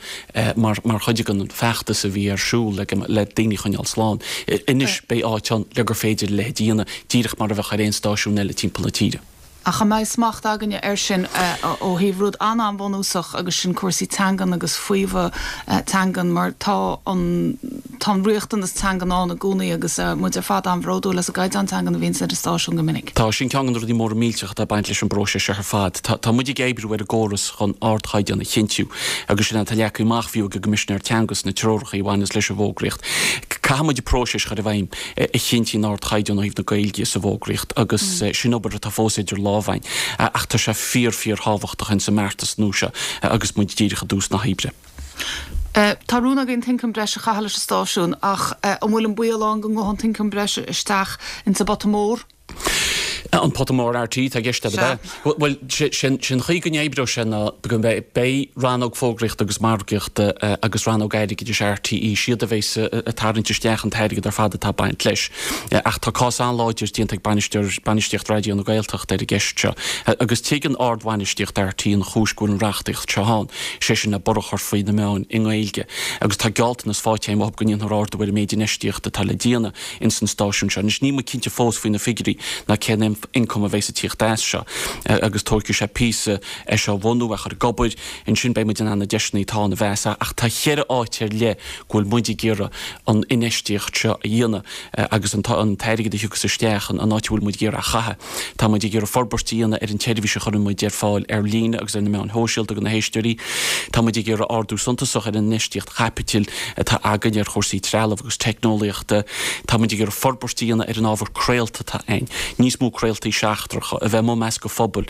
S10: mar mar chuid den feachtas a bhí ar siúl le le daoine a choinneáil slán. Anois beidh áit ann le gur féidir a leithéid a dhéanamh, díreach mar a bheadh ar aon stáisiún eile timpeall na tíre.
S1: Ach an mbeidh smacht againne air sin ó thaobh rud an-an-bhunúsach agus sin cúrsaí teangan agus faomhadh teangan mar tá an tá an riachtanas teangan ann i gcónaí agus muid ar fad an-bhródúil as an gcaighdeán teangan a bhíonns ar an stáisiún go minic.
S10: Tá, sin ceann de na rudaí móra millteacha atá ag baint leis an bpróiseas seo ar fad. Tá tá muid ag oibriú ar an gcóras chun ardchaighdeán a chinntiú agus sin atá leagtha amach fiú ag an gCoimisinéir Teanga sna treoracha a bhaineas leis an bhfógraíocht. Caithfidh muid an próiseas a chur i bhfeidhm. a chinntíonn ardchaighdeán ó thaobh na Gaeilge sa bhfógraíocht agus sin obair atá fós idir lámha againn ach tá sé fíor fíor thábhachtach ins an mbeartas nua seo agus muid díreach i dtús na hoibre.
S1: Tá rún againn t-ioncam breise a chaitheamh leis an stáisiún ach an bhfuil an baol ann go ngabhfaidh an t-ioncam breise isteach ins an bpota mór?
S10: An pota mór RTÉ atá i gceist agat, ab ea? Bhuel, sé an chaoi go n-oibreoidh sé ná go mbeidh, beidh rannóg fógraíochta agus margaíochta agus rannóg airgeadais RTÉ, siad a bheas ag tarraingt isteach an t-airgead ar fad atá ag baint leis. Ach tá cás an-láidir déanta ag bainisteoir, bainistíocht Raidió na Gaeltachta ar an gceist seo. Agus tuigeann ardbhainistíocht RTÉ an chúis go bhfuil an reachtaíocht seo ann, sé sin le borradh a chur faoi na meáin i nGaeilge. Agus tá gealltanas faighte againn uathu go ndéanfar ardú ar an méid infheistíochta atá le déanamh. ins an stáisiún seo. Anois níl muid cinnte fós faoi na figiúirí ná cén ioncam a bheas ag tíocht as seo agus tógfaidh sé píosa é seo a bhunú, é a chur ag obair, ansin beidh muid in ann na deiseanna atá ann a mheas ach tá cheithre áit ar leith go bhfuil muid ag iarraidh an infheistíocht seo a dhéanamh agus an t-airgead a thiocfas isteach, an áit a bhfuil muid ag iarraidh a chaitheamh. Tá muid ag iarraidh forbairt a dhéanamh ar an tseirbhís a chuireann muid ar fáil ar líne agus ar na meáin shóisialta do na héisteoirí. Tá muid ag iarraidh ardú suntasach ar an infheistíocht chaipitil atá againn ar chúrsaí trealaimh agus teicneolaíochta. Tá muid ag iarraidh forbairt a dhéanamh ar an ábhar craolta atá againn, níos mó craoltaí seachtracha, a bheith amuigh i measc an phobail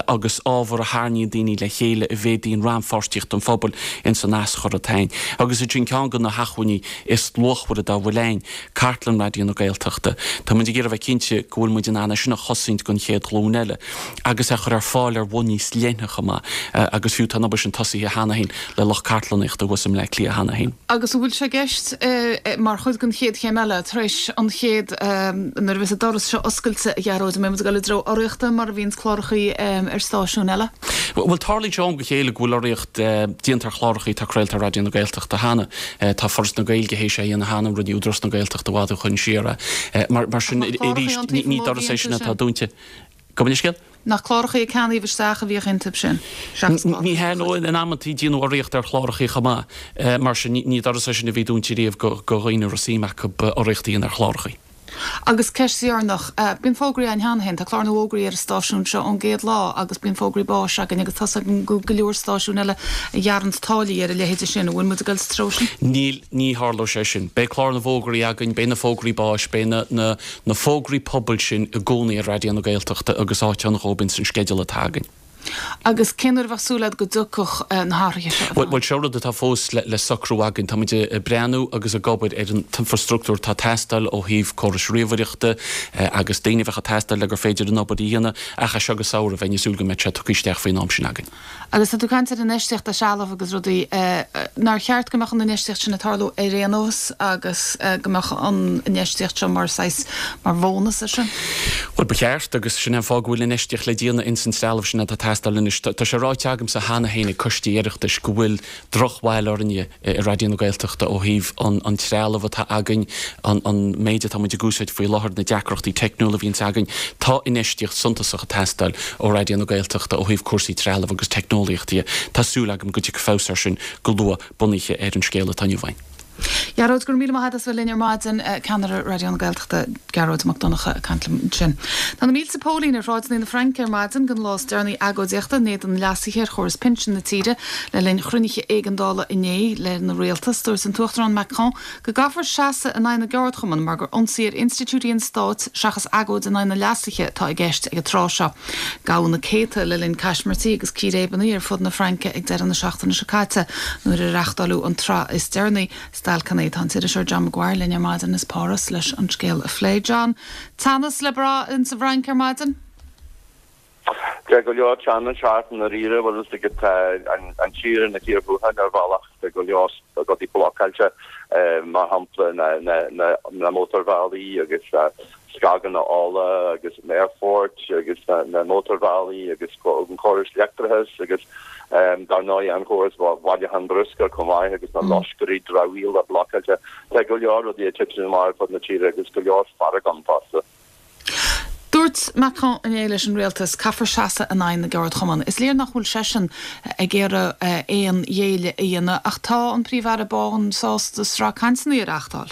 S10: agus ábhar a tharraingíonn daoine le chéile a mhéadaíonn rannpháirtíocht an phobail ins an aschur atá againn. Agus ansin ceann de na hacmhainní is luachmhaire dá bhfuil againn, Cartlann Raidió na Gaeltachta. Tá muid ag iarraidh a bheith cinnte go bhfuil muid in ann é sin a chosaint don chéad ghlúin eile agus é a chur ar fáil ar bhonn níos leithne chomh maith agus fiú tá an obair sin tosaithe cheana féin le lucht cartlannaíochta thuas i mBleá Cliath cheana féin.
S1: Agus an bhfuil sé i gceist mar chuid den chéad chéim eile, tar éis an chéad, nuair a bheas an doras seo oscailte, a Ghearóid, an mbeidh muid ag dul i dtreo urraíochta mar a bhíonns clárachaí ar stáisiúin eile?
S10: Bhuel, tarlaíonn sé ó am go chéile go bhfuil urraíocht déanta ar chlárachaí atá craolta ar Raidió na Gaeltachta cheana. Tá Foras na Gaeilge théis é a dhéanamh cheana, rinne Údarás na Gaeltachta i bhfad ó shoin siar é. Mar sin, arís, ní doras é sin atá dúnta. Gabh mo leithscéal?
S1: Nach clárachaí a ceannaíodh isteach a bhíodh iontu sin,
S10: seachas clárachaí. Ní hea, nó in amantaí déanadh urraíocht ar chlárachaí chomh maith. Mar sin, ní doras é sin a bhí dúnta riamh do dhaoine a raibh suim acu urraíocht a dhéanamh ar chlárachaí.
S1: Agus ceist dheireanach, bíonn fógraí againn cheana féin, tá clár na bhfógraí ar an stáisiún seo ón gcéad lá agus bíonn fógraí báis againn agus tá's agam go go leor stáisiún eile a ghearranns táillí ar a leithéide sin. An bhfuil muid ag dul sa treo sin?
S10: Níl, ní tharlóidh sé sin. Beidh clár na bhfógraí againn, beidh na fógraí báis, beidh na, na, na fógraí pobail sin i gcónaí ar Raidió na Gaeltachta agus áit ann dhóibh ins an sceideal atá againn.
S1: Agus cén uair a bheadh súil agat go dtiocfadh na hathruithe seo i
S10: bhfeidhm? Bhuel, seo rud atá fós le socrú againn. Tá muid ag breathnú agus ag obair ar an t-infreastruchtúr atá ag teastáil ó thaobh córais ríomhaireachta agus daoine a bheadh ag teastáil le gur féidir an obair a dhéanamh, ach as seo go samhradh bheinn ag súil go mbeadh sé tugtha isteach faoin am sin againn.
S1: Agus tá tú ag caint ar infheistíocht i dtrealamh agus rudaí, nár cheart go mbeadh an infheistíocht sin ag tarlú ar aon nós agus go mbeadh an infheistíocht seo mar saghas, mar bhónas air sin?
S10: Bhuel, ba cheart, agus sin é an fáth go bhfuil infheistíocht le déanamh ins an trealamh sin atá ag teastáil anois. Tá sé ráite agamsa cheana féin ag coistí Oireachtais go bhfuil drochbhail orainne i Raidió na Gaeltachta ó thaobh an trealamh atá againn, an méid atá muid ag úsáid faoi láthair, na deacrachtaí teicniúla a bhíonns againn. Tá infheistíocht suntasach ag teastáil ó Raidió na Gaeltachta ó thaobh cúrsaí trealaimh agus teicneolaíochta dhe. Tá súil agam go dtiocfaidh feabhas air sin go luath bunaithe ar an scéal atá inniu againn.
S1: Gearóid, go raibh míle maith agat as bheith linn ar maidin. Ceannaire Raidió na Gaeltachta, Gearóid Mac Donncha ag caint liom ansin. Tá na mílte póilín ar shráideanna na Fraince ar maidin don lá is deireanaí agóidíochta in éadan leasuithe ar chóras pinsin na tíre. Le linn chruinnithe éigeandála inné lena rialtas, dúirt an tUachtarán Macron go gcaithfear seasamh in aghaidh na gceardchumann mar gur ionsaí ar institiúidí an stáit seachas agóid in aghaidh na leasuithe atá i gceist ag an tráth seo. Gabhadh na céadta le linn caismirtí agus círéibeanna ar fud na Fraince ag deireadh na seachtaine seo caite nuair a reáchtáileadh an tsraith is deireanaí stailceanna. Tá an t-iriseoir John Maguire linn ar maidin as Páras leis an scéal a phlé. John, teannas le brath insa bhFrainc ar maidin?
S11: Tá go leor teannais thart i ndáiríre, bhfuil fhios agat, tá an tír ina cíor thuathail ar bhealach, tá go leor rudaí blocáilte, mar shampla na mótarbhealaí agus scaganna ola agus an aerfort agus na mótarbhealaí agus an córas leictreachais agus dar ndóigh an córas bhailiúchán bruscair chomh maith agus na loscairí dramhaíola blocáilte. Tá go leor rudaí ag titim amach ar fud na tíre agus go leor fearg ann fosta.
S1: Dúirt Macron inné leis an rialtas, caithfear seasamh in aghaidh na gceardchumann. Is léir nach bhfuil seisean ag iarraidh aon ghéilleadh a dhéanamh ach tá an Príomh-Aire Bán sásta sraith cainteanna a reáchtáil.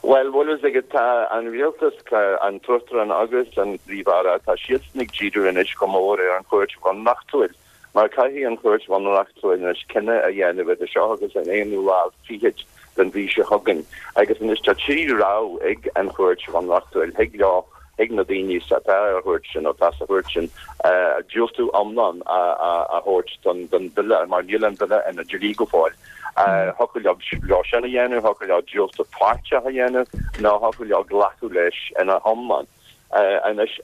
S11: Bhuel, bhfuil fhios agat, tá an rialtas, an tUachtarán agus an Príomh-Aire, tá siadsan ag díriú anois go mór ar an Chúirt Bhunreachtúil, mar caithfidh an Chúirt Bhunreachtúil anois cinneadh a dhéanamh idir seo agus an aonú lá fichead den mhí seo chugainn. Agus anois tá trí rogha ag an Chúirt Bhunreachtúil, thig leo, thig na daoine atá ar an chúirt sin, nó atá sa chúirt sin, diúltú iomlán a thabhairt don bhille, mar níl an bille ina dhlí go fóill. Thiocfadh leo sin a dhéanamh, thiocfadh leo diúltú páirteach a dhéanamh, nó thiocfadh leo glacadh leis ina hiomlán. Anois,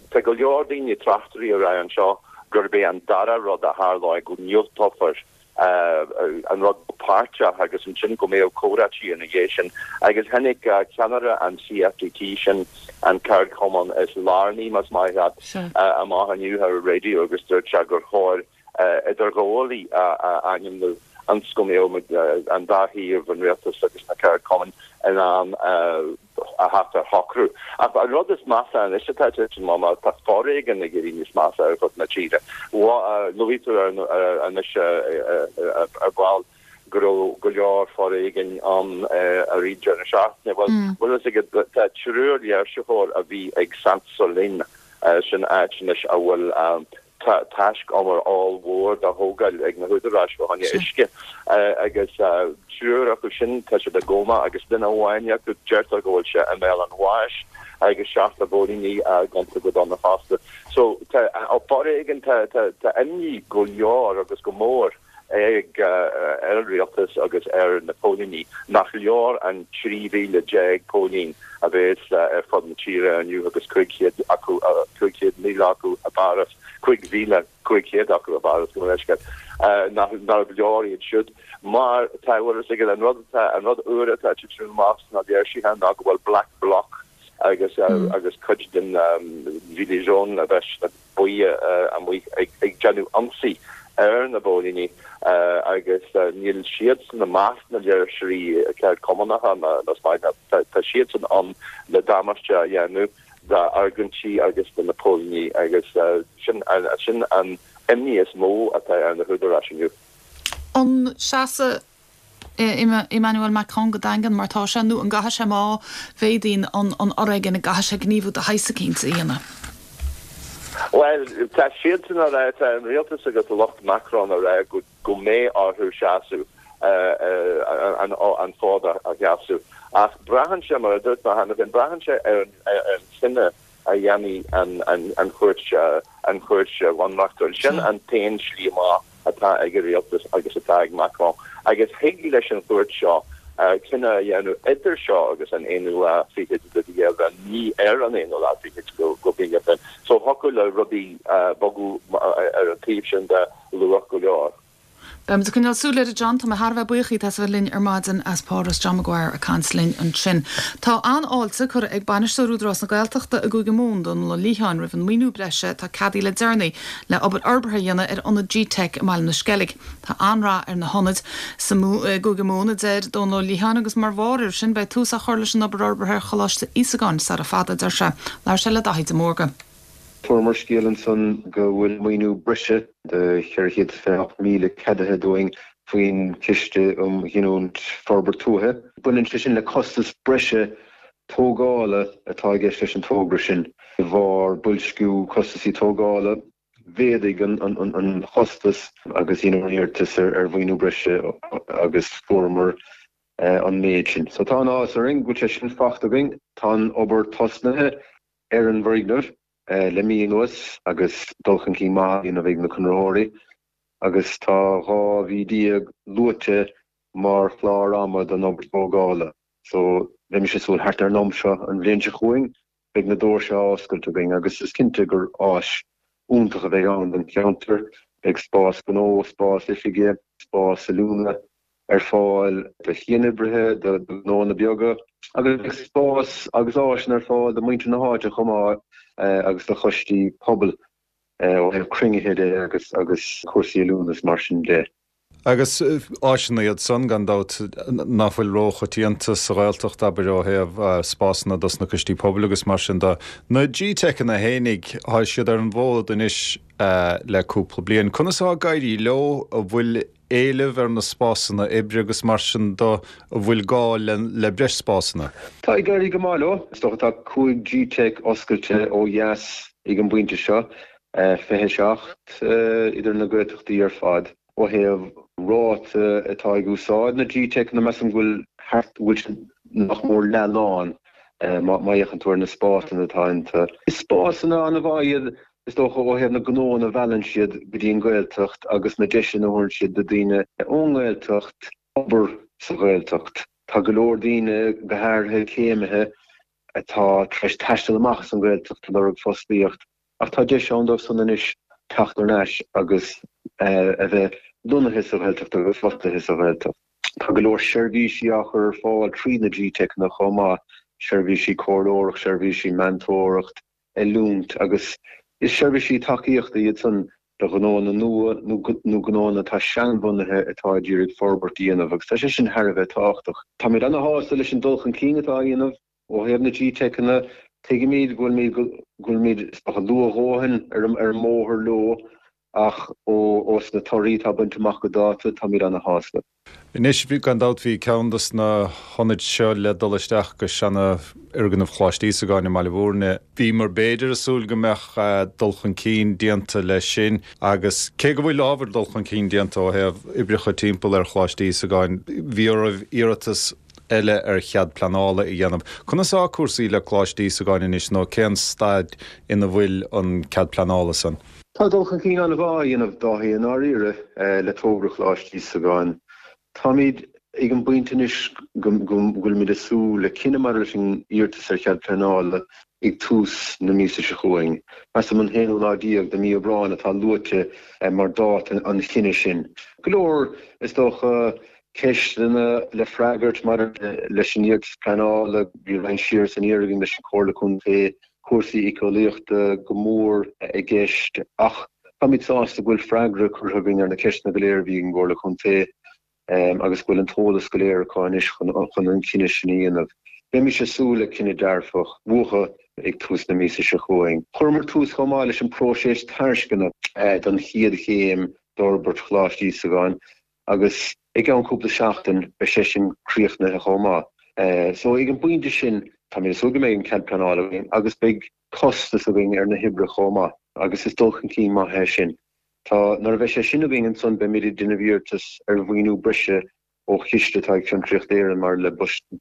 S11: tá go leor daoine, tráchtairí ag rá anseo gurb é an dara rud a tharlóidh, go ndiúltófar an rud go páirteach agus ansin go mbeadh comhráití ina dhiaidh sin. Agus tháinig ceannaire an CFDT, sin an ceardchumann is lárnaí, más maith leat, amach inniu ar an raidió agus dúirt sé gur chóir idirghabhálaí a ainmniú ionas go mbeadh an dá thaobh, an rialtas agus na ceardchumainn, in ann a theacht ar shocrú. Ach an rud is measa anois atá ag titim amach ná tá foréigean ag éirí níos measa ar fud na tíre. Luaigh tú anois ar ball go raibh go leor foréigin ann i rith deireadh na seachtaine. Bhuel, bhfuil fhios agat, tá triúr léirsitheoir a bhí ag Sainte-Soline, sin áit anois a bhfuil taiscumar ollmhór dá thógáil ag na húdaráis fá choinne uisce agus triúr acu sin tá siad i gcóma agus duine amháin acu deirtear go bhfuil sé i mbéal an bháis agus seachtar póilíní gonta go dona fosta. So tá foréigean, tá imní go leor agus go mór ag ar an rialtas agus ar na póilíní nach leor an 13,000 póilín a bheas ar fud na tíre inniu agus 500 acu, 500,000 acu i bPáras, 5,500 acu i bPáras, gabh mo leithscéal, nach nárbh leor iad siúd. Mar tá, bhfuil fhios agat, an rud atá, an rud úr atá ag titim amach sna léirsithe ná go bhfuil Black Bloc agus agus cuid den Gilets Jaunes a bheas sna buí amuigh ag déanamh ionsaí ar na póilíní agus níl siadsan i measc na léirsitheoirí ceardchumannacha más maith leat. Tá siadsan ann le damáiste a dhéanamh d'fhoirgintí agus do na póilíní agus sin an imní is mó atá ar na húdaráis inniu.
S1: An seasfaidh Emmanuel Macron go daingean mar tá sé, nó an gcaithfidh sé má mhéadaíonn an foréigean, an gcaithfidh sé gníomhú de shaghas eicínt a dhéanamh?
S11: Bhuel, tá siadsan á rá, tá an rialtas agus lucht Macron á rá go mbeidh orthu seasamh, an fód a sheasamh. Ach braitheann sé, mar a dúirt mé cheana féin, braitheann sé ar an chinneadh. a dhéanfaidh an Chúirt an Chúirt Bhunreachtúil. Sin an t-aon slí amach atá ag an rialtas agus atá ag Macron. Agus thig leis an chúirt seo cinneadh a dhéanamh idir seo agus an aonú lá fichead de mhí Aibreáin, ní ar an aonú lá fichead de mhí Aibreáin. So thiocfadh le rudaí bogadh ar an taobh sin de luath go leor.
S1: Beimid ag coinneáil súil air, a John. Tá mé thar a bheith buíoch díot as a bheith linn ar maidin as Páras. John Maguire ag caint linn ansin. Tá an-fháilte curtha ag Bainisteoir Údarás na Gaeltachta i gCúige Mumhan, Dónal Ó Liatháin, roimh an maoiniú breise atá ceadaithe le deireanaí le obair fhorbartha a dhéanamh ar ionad G-Teic i mBaile na Sceilg. Tá an-rath ar na hionaid sa i gCúige Mumhan, a deir Dónal Ó Liatháin, agus mar bharr air sin beidh tús á chur leis an obair fhorbartha ar Choláiste Íosagáin sara fada, a deir sé. Labhair sé le Daithí de Mórdha.
S12: Fuaireamar scéal ansan go bhfuil maoiniú breise de 428,000 ceadaithe dúinn faoin Chiste um Ghiniúint Forbairt Tuaithe. Baineann sé sin le costas breise tógála atá i gceist leis an togra sin. De bharr boilsciú costasaí tógála, mhéadaigh an chostas agus dheineamar iarratas ar mhaoiniú breise agus fuaireamar an méid sin. So tá an-áthas orainn go bhfuil sé sin fachta againn. Tá an obair tosnaithe. ar an bhfoirgneamh le mí anuas agus dul chun cinn maith á dhéanamh ag na conraitheoirí agus tá 12 mhí luaite mar chlár ama don obair tógála so bheimis ag súil thart ar an am seo an bhliain seo chugainn beidh na doirse á oscailt againn agus is cinnte gur áis iontach a bheidh ann don cheantar. Beidh spás gnó, spás oifige, spás oiliúna, ar fáil do chianoibrithe, do ghnóanna beaga agus beidh spás agus áiseanna ar fáil do mhuintir na háite chomh maith agus do choistí pobail ó thaobh cruinnithe de agus agus cúrsaí oiliúna is mar sin de.
S4: Agus áiseanna iad san, gan dabht, ná fuil róchoitianta sa Ghaeltacht, abair, ó thaobh spásanna dos na coistí pobail agus mar sin de. Na G-Teiceanna fhéinig, tá siad ar an bhfód anois le cúpla bliain. Conas atá ag éirí leo? An bhfuil éileamh ar na spásanna oibre agus mar sin de, an bhfuil gá le breis spásanna?
S12: Tá ag éirí go maith leo. Is dócha tá 5 G-Teic oscailte ó dheas ag an bpointe seo, 27 idir na Gaeltachtaí ar fad. Ó thaobh ráta atá ag úsáid na G-Teiceanna, measaim go bhfuil thart, go bhfuil siad nach mór leath lán má fhéachann tú ar na spásanna atá iontu. Is spásanna an-mhaith iad Is dócha, ó thaobh na gnóanna a mheallann siad go dtí an Ghaeltacht agus na deiseanna a thabharann siad do daoine ón nGaeltacht obair sa Ghaeltacht. Tá go leor daoine, go háirithe céimithe, atá tar éis taisteal amach as an Ghaeltacht ag lorg fostaíocht ach tá deis ann dóibh san anois teacht thar n-ais agus a bheith lonnaithe sa Ghaeltacht agus fostaithe sa Ghaeltacht. Tá go leor seirbhísí á chur ar fáil trí na G-Teiceanna chomh maith, seirbhísí comhairleoireacht, seirbhísí meantóireacht, oiliúint agus is seirbhísí tacaíochta iad san do ghnóanna nua nó gnóanna atá seanbhunaithe atá ag iarraidh forbairt a dhéanamh agus tá sé sin thar a bheith tábhachtach. Táimid ana-shásta leis an dul chun cinn atá á dhéanamh ó thaobh na G-Teiceanna. Tuigimid go bhfuilimid go bhfuilimid is dócha luath a dhóthain ar an mbóthar leo Ach ós na torthaí atá bainte amach go dáta, táimid ana-shásta.
S4: Anois, gan dabht, bhí ceann dos na hionaid seo le dul isteach go seana-fhoirgneamh Choláiste Íosagáin i mBaile Bhúirne. Bhíomar b'fhéidir ag súil go mbeadh dul chun cinn déanta leis sin agus cé go bhfuil ábhar dul chun cinn déanta ó thaobh oibreacha timpeall ar Choláiste Íosagáin, bhí oraibh iarratas eile ar chead pleanála a dhéanamh. Conas atá cúrsaí le Coláiste Íosagáin anois nó cén staid ina bhfuil an cead pleanála san?
S12: Tá dul chun cinn an-mhaith á dhéanamh, Dáithí, i ndáiríre, le togra Choláiste Íosagáin. Táimid ag an bpointe anois go bhfuilimid ag súil le cinneadh maidir leis an iarratas ar chead pleanála ag tús na míosa seo chugainn. Measaim an t-aonú lá déag de mí Aibreáin atá luaite mar dáta an chinnidh sin. Go leor, is dócha, ceisteanna le freagairt maidir leis an iarratas pleanála. Bhí roinnt siar is aniar againn leis an Chomhairle Contae, cúrsaí éiceolaíochta go mór i gceist ach táimid sásta go bhfuil freagra curtha againn ar na ceisteanna go léir a bhí ag an gComhairle Contae agus go bhfuil an t-eolas go léir acu anois chun an cinneadh sin a dhéanamh. Beimis ag súil le cinneadh dearfach uathu ag tús na míosa seo chugainn. Chuireamar tús chomh maith leis an bpróiseas tairisceana don chéad chéim d'fhorbairt Choláiste Íosagáin agus i gceann cúpla seachtain beidh sé sin críochnaithe chomh maith. So ag an bpointe sin táimid ag súil go mbeidh an cead pleanála againn agus beidh costas againn ar na hoibreacha chomh maith agus is dul chun cinn maith é sin. Tá, nuair a bheidh sé sin againn ansan beimid ag déanamh iarratas ar mhaoiniú breise ó chiste atá ag Fiontraíocht Éireann maidir le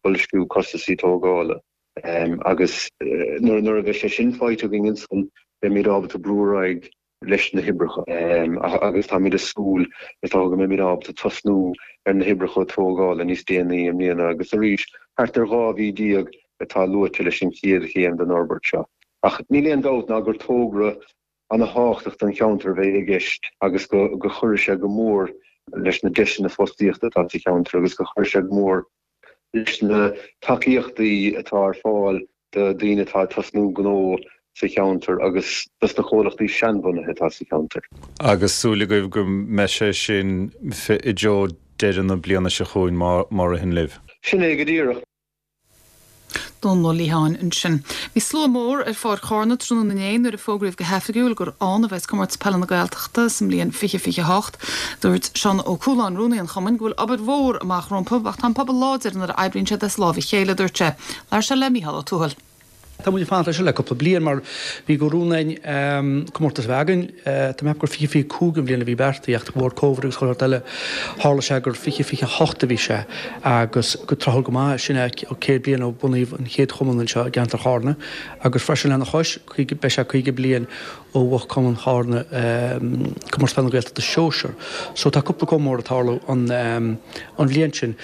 S12: boilsciú costasaí tógála. Agus nuair a bheidh sé sin faighte againn ansan beimid ábalta brú ar aghaidh leis na hoibreacha agus táimid ag súil is dócha go mbeimid ábalta tosnú ar na hoibreacha tógála níos déanaí i mbliana agus arís thart ar 12 mhí atá luaite leis an chéad chéim den fhorbairt seo. Ach níl aon dabht ná gur togra ana-thábhachtach don cheantar a bheidh i gceist agus go gcuirfidh sé go mór leis na deiseanna fostaíochta atá sa cheantar agus go gcuirfidh sé go mór leis na tacaíochtaí atá ar fáil do dhaoine atá ag tosnú gnó sa cheantar agus dos na comhlachtaí seanbhunaithe atá sa cheantar.
S4: Agus súil agaibh go mbeidh sé sin i dtreo deireadh na bliana seo chugainn má ritheann libh.
S12: Sin é go díreach.
S1: Dónal Ó Liatháin ansin. Bhí slua mór ar Pháirc Chárna tráthnóna inné nuair a fógraíodh go hoifigiúil gur ann a bheas Comórtas Peile na Gaeltachta sa mbliain 2028. Dúirt Seán Ó Cualáin, rúnaí an chumainn, go bhfuil obair mhór amach rompu ach tá an pobal láidir nuair a oibríonn siad as láimh a chéile, a dúirt sé. Labhair sé le Mícheál Ó Tuathail.
S13: Tá muid ag fanacht leis seo le cúpla bliain mar bhí go rún againn comórtas a bheith againn. Tá mé ag ceapadh gur 2025 an bhliain a bhí beartaithe ach de bharr Covid agus chuile shórt eile tharla sé gur 2028 a bhí sé agus go tráthúil go maith sin é 100 bliain ó bunaíodh an chéad chumann anseo i gceantar Chárna agus freisin lena chois beidh sé 50 bliain ó bhuaigh Cumann Chárna Comórtas Peile na Gaeltachta Sóisear. So tá cúpla comóradh ag tarlú an bhliain sin.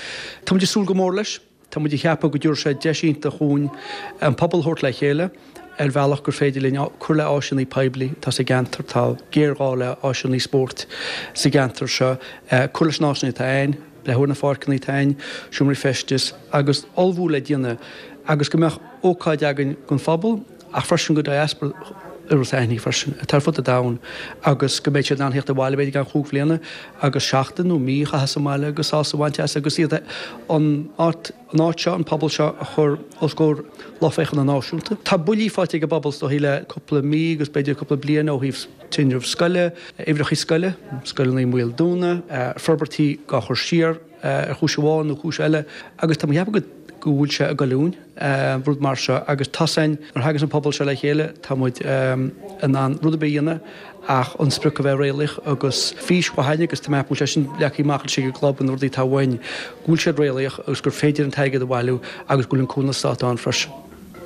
S13: Tá muid ag súil go mór leis. Tá muid ag ceapadh go dtabharfaidh sé deis iontach dhúinn an pobal a thabhairt le chéile ar bhealach gur féidir linn cur le áiseanna poiblí atá sa gceantar, tá géarghá le áiseanna spóirt sa gceantar seo, cur leis na áiseanna atá ann, breathnú ar na pháirceanna atá ann, seomraí feistis agus ullmhú le déanamh agus go mbeadh ócáid againn don phobal ach freisin go diaspora Iorras Aithnigh freisin, atá ar fud an domhain agus go mbeidh siad in ann theacht abhaile b'fhéidir i gceann chúig bhliana agus seachtain nó mí a chaitheamh sa mbaile agus sásamh a bhaint as agus iad an áit an áit seo, an pobal seo a chur os comhair lucht féachana náisiúnta. Tá buillí faighte ag an bpobal is dóichí le cúpla mí agus b'fhéidir cúpla bliain ó thaobh tinreamh scoile, uimhreacha scoile, scoileanna i mbaol dúnadh, forbairtí á chur siar ar chúis amháin nó cúis eile agus tá mé ag ceapadh go go bhfuil sé ag goilliúint, rud mar seo, agus tá a fhios againn, nuair a thaganns an pobal seo le chéile, tá muid in ann rud ar bith a dhéanamh ach an sprioc a bheith réalaíoch agus fís mhaith againn agus tá mé ag ceapadh go bhfuil sé sin leagtha amach anois ag an gclub na rudaí atá uainn, go bhfuil siad réalaíoch agus gur féidir an t-airgead a bhailiú agus go bhfuil an cúnamh stáit ann freisin.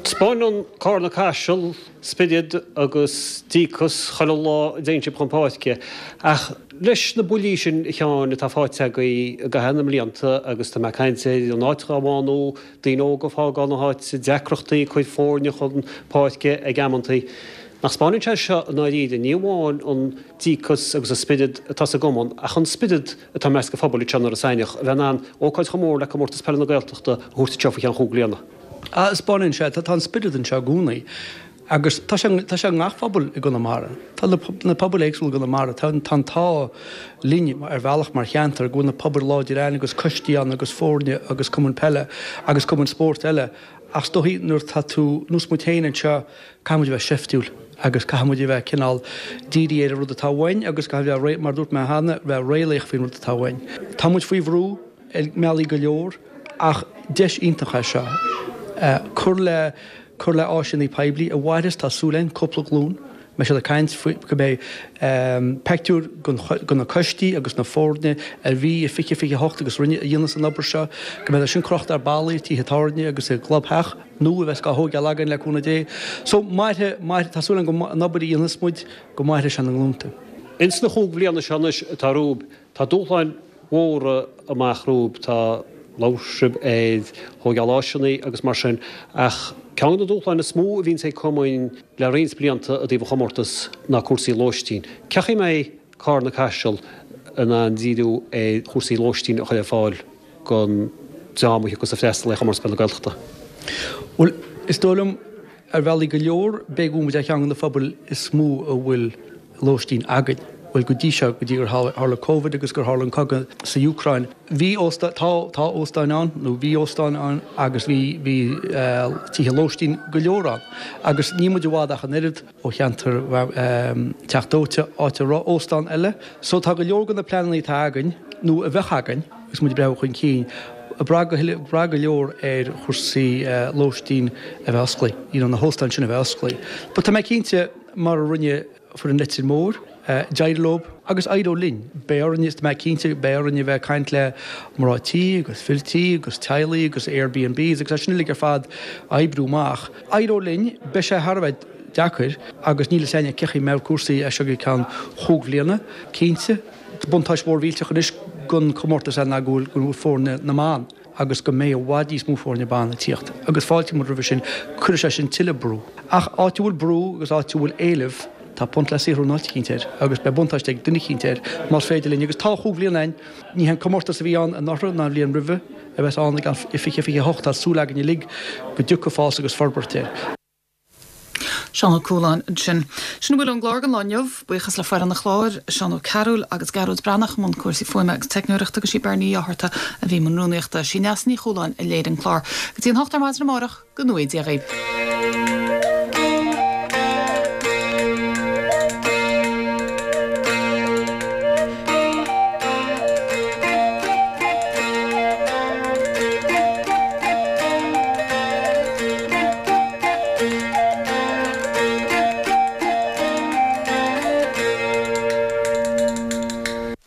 S14: Taispeáineann Cárna Caiseal spiorad agus díocas chuile lá a dtéann sibh chun páirce. Ach leis na buillí sin, a Sheáin, atá faighte agaibh i gcaitheamh na mblianta, agus tá mé ag caint ar an áit dhá bhánú, daoine óga ag fágáil na háite, deacrachtaí ag cur foirne chun páirce ag amantaí, nach 'spáineann sé seo i ndáiríre ní amháin an díocas agus an spiorad atá sa gcumann ach an spiorad atá i measc an phobail anseo in Iorras Aithneach a bheith in ann ócáid chomh mór le Comórtas Peile na Gaeltachta a thabhairt anseo faoi cheann chúig bliana.
S13: Ah, 'spáineann sé, tá an spiorad anseo i gcónaí agus tá sé, tá sé i ngach phobal i gConamara. Tá na, na pobail éagsúla i gConamara, tá, tá an t-ádh linn ar bhealach mar cheantar go bhfuil na pobail láidir ann agus coistí ann agus foirne agus cumainn peile agus cumainn spóirt eile ach is dóichí nuair atá tú, nós muid féin anseo, caithfidh muid a bheith seiftiúil agus caithfidh muid a bheith cineál dírithe ar an rud atá uainn agus caithfidh bheith, mar a dúirt mé cheana, bheith réalaíoch faoin rud atá uainn. Tá muid faoi bhrú. ar mbealaí go leor ach deis iontach é seo cur le cur le áiseanna poiblí a mhairfeas, tá súil againn, cúpla glúin. Beidh siad ag caint faoi go mbeidh peictiúir de na coistí agus na foirne a bhí i 2028 agus rinne a dhéanas an obair seo, go mbeidh sin crochta ar ballaí tithe tábhairne agus i gclubtheach nua a bheas á thóigeáil againn le cúnamh Dé. So mairfidh, mairfidh, tá súil againn go an obair a dhéanfas muid go mairfidh sé na nglúnta.
S14: Ins na chúig bhliana seo anois atá romhaibh, Tá dúshláin mhóra amach romhaibh, tá, labhair sibh ar thóigeáil áiseanna agus mar sin, ach ceann de na dúshláin is mó a bhíonns ag cumainn le roinnt blianta i dtaobh an chomórtais ná cúrsaí lóistín. Cén chaoi a mbeidh Cárna Caiseal in ann díriú ar chúrsaí lóistín a chur ar fáil don dream a thiocfas ag freastal ar Chomórtas Peile na Gaeltachta?
S13: Bhuel, is dóigh liom Ar bhealaí go leor, b'fhéidir go bhfuil muid ar cheann de na phobail is mó a bhfuil lóistín againn. Bhuel, go dtí seo, go dtí gur tharla Covid agus gur tharla an cogadh sa Úcráin, bhí óstán, tá, tá óstáin ann, nó bhí óstáin ann agus bhí, bhí tithe lóistín go leor ann. Agus níl muid i bhfad ach an oiread ó cheantar Teach Dóite, áit a raibh óstán eile. So tá go leor de na pleananna atá againn, nó a bheadh againn, agus muid ag breathnú chun cinn, ag brath go ag brath go leor ar chúrsaí lóistín a bheith osclaithe, you know na hóstáin sin a bheith osclaithe. But tá mé cinnte, mar a rinne foireann Leitir Móir. D'éirigh leo agus éireoidh linn. Beidh orainn, is mé cinnte, beidh orainn a bheith ag caint le mná tí agus fir tí agus teaghlaigh agus Airbnbs agus é sin uilig ar fad a oibriú amach. Éireoidh linn, beidh sé thar a bheith deacair agus níl fhios againne cé chaoi a mbeidh cúrsaí as seo go ceann chúig bhliana. Cinnte, buntáiste mhór mhillteach anois don chomórtas é ná go bhfuil foirne na mban. agus go mbeidh i bhfad níos mó foirne ban ag tíocht agus fáiltíonn muid roimhe sin, cuirfidh sé sin tuilleadh brú. Ach áit a bhfuil brú agus áit a bhfuil éileamh, tá punt le saothrú in áit eicínt air agus beidh buntáiste ag duine eicínt air más féidir linn agus tá chúig bhliana ann, ní hé an comórtas a bhí ann anuraidh ná an bhliain roimhe a bheas ann i 2028, tá súil againn uilig go dtiocfaidh fás agus forbairt air.
S1: Seán Ó Cualáin ansin. Sin a bhfuil ón gclár don lá inniu. Buíochas le foireann an chláir, Seán Ó Cearúil agus Gearóid Breathnach i mbun cúrsaí fuaime agus teicneoireachta agus sí Beirní Ní Fhátharta a bhí i mbun rúnaíochta. Sí Neasa Ní Chualáin a léirigh an clár. Go dtí an hocht ar maidin amárach, go ngnóthaí Dia dhaoibh.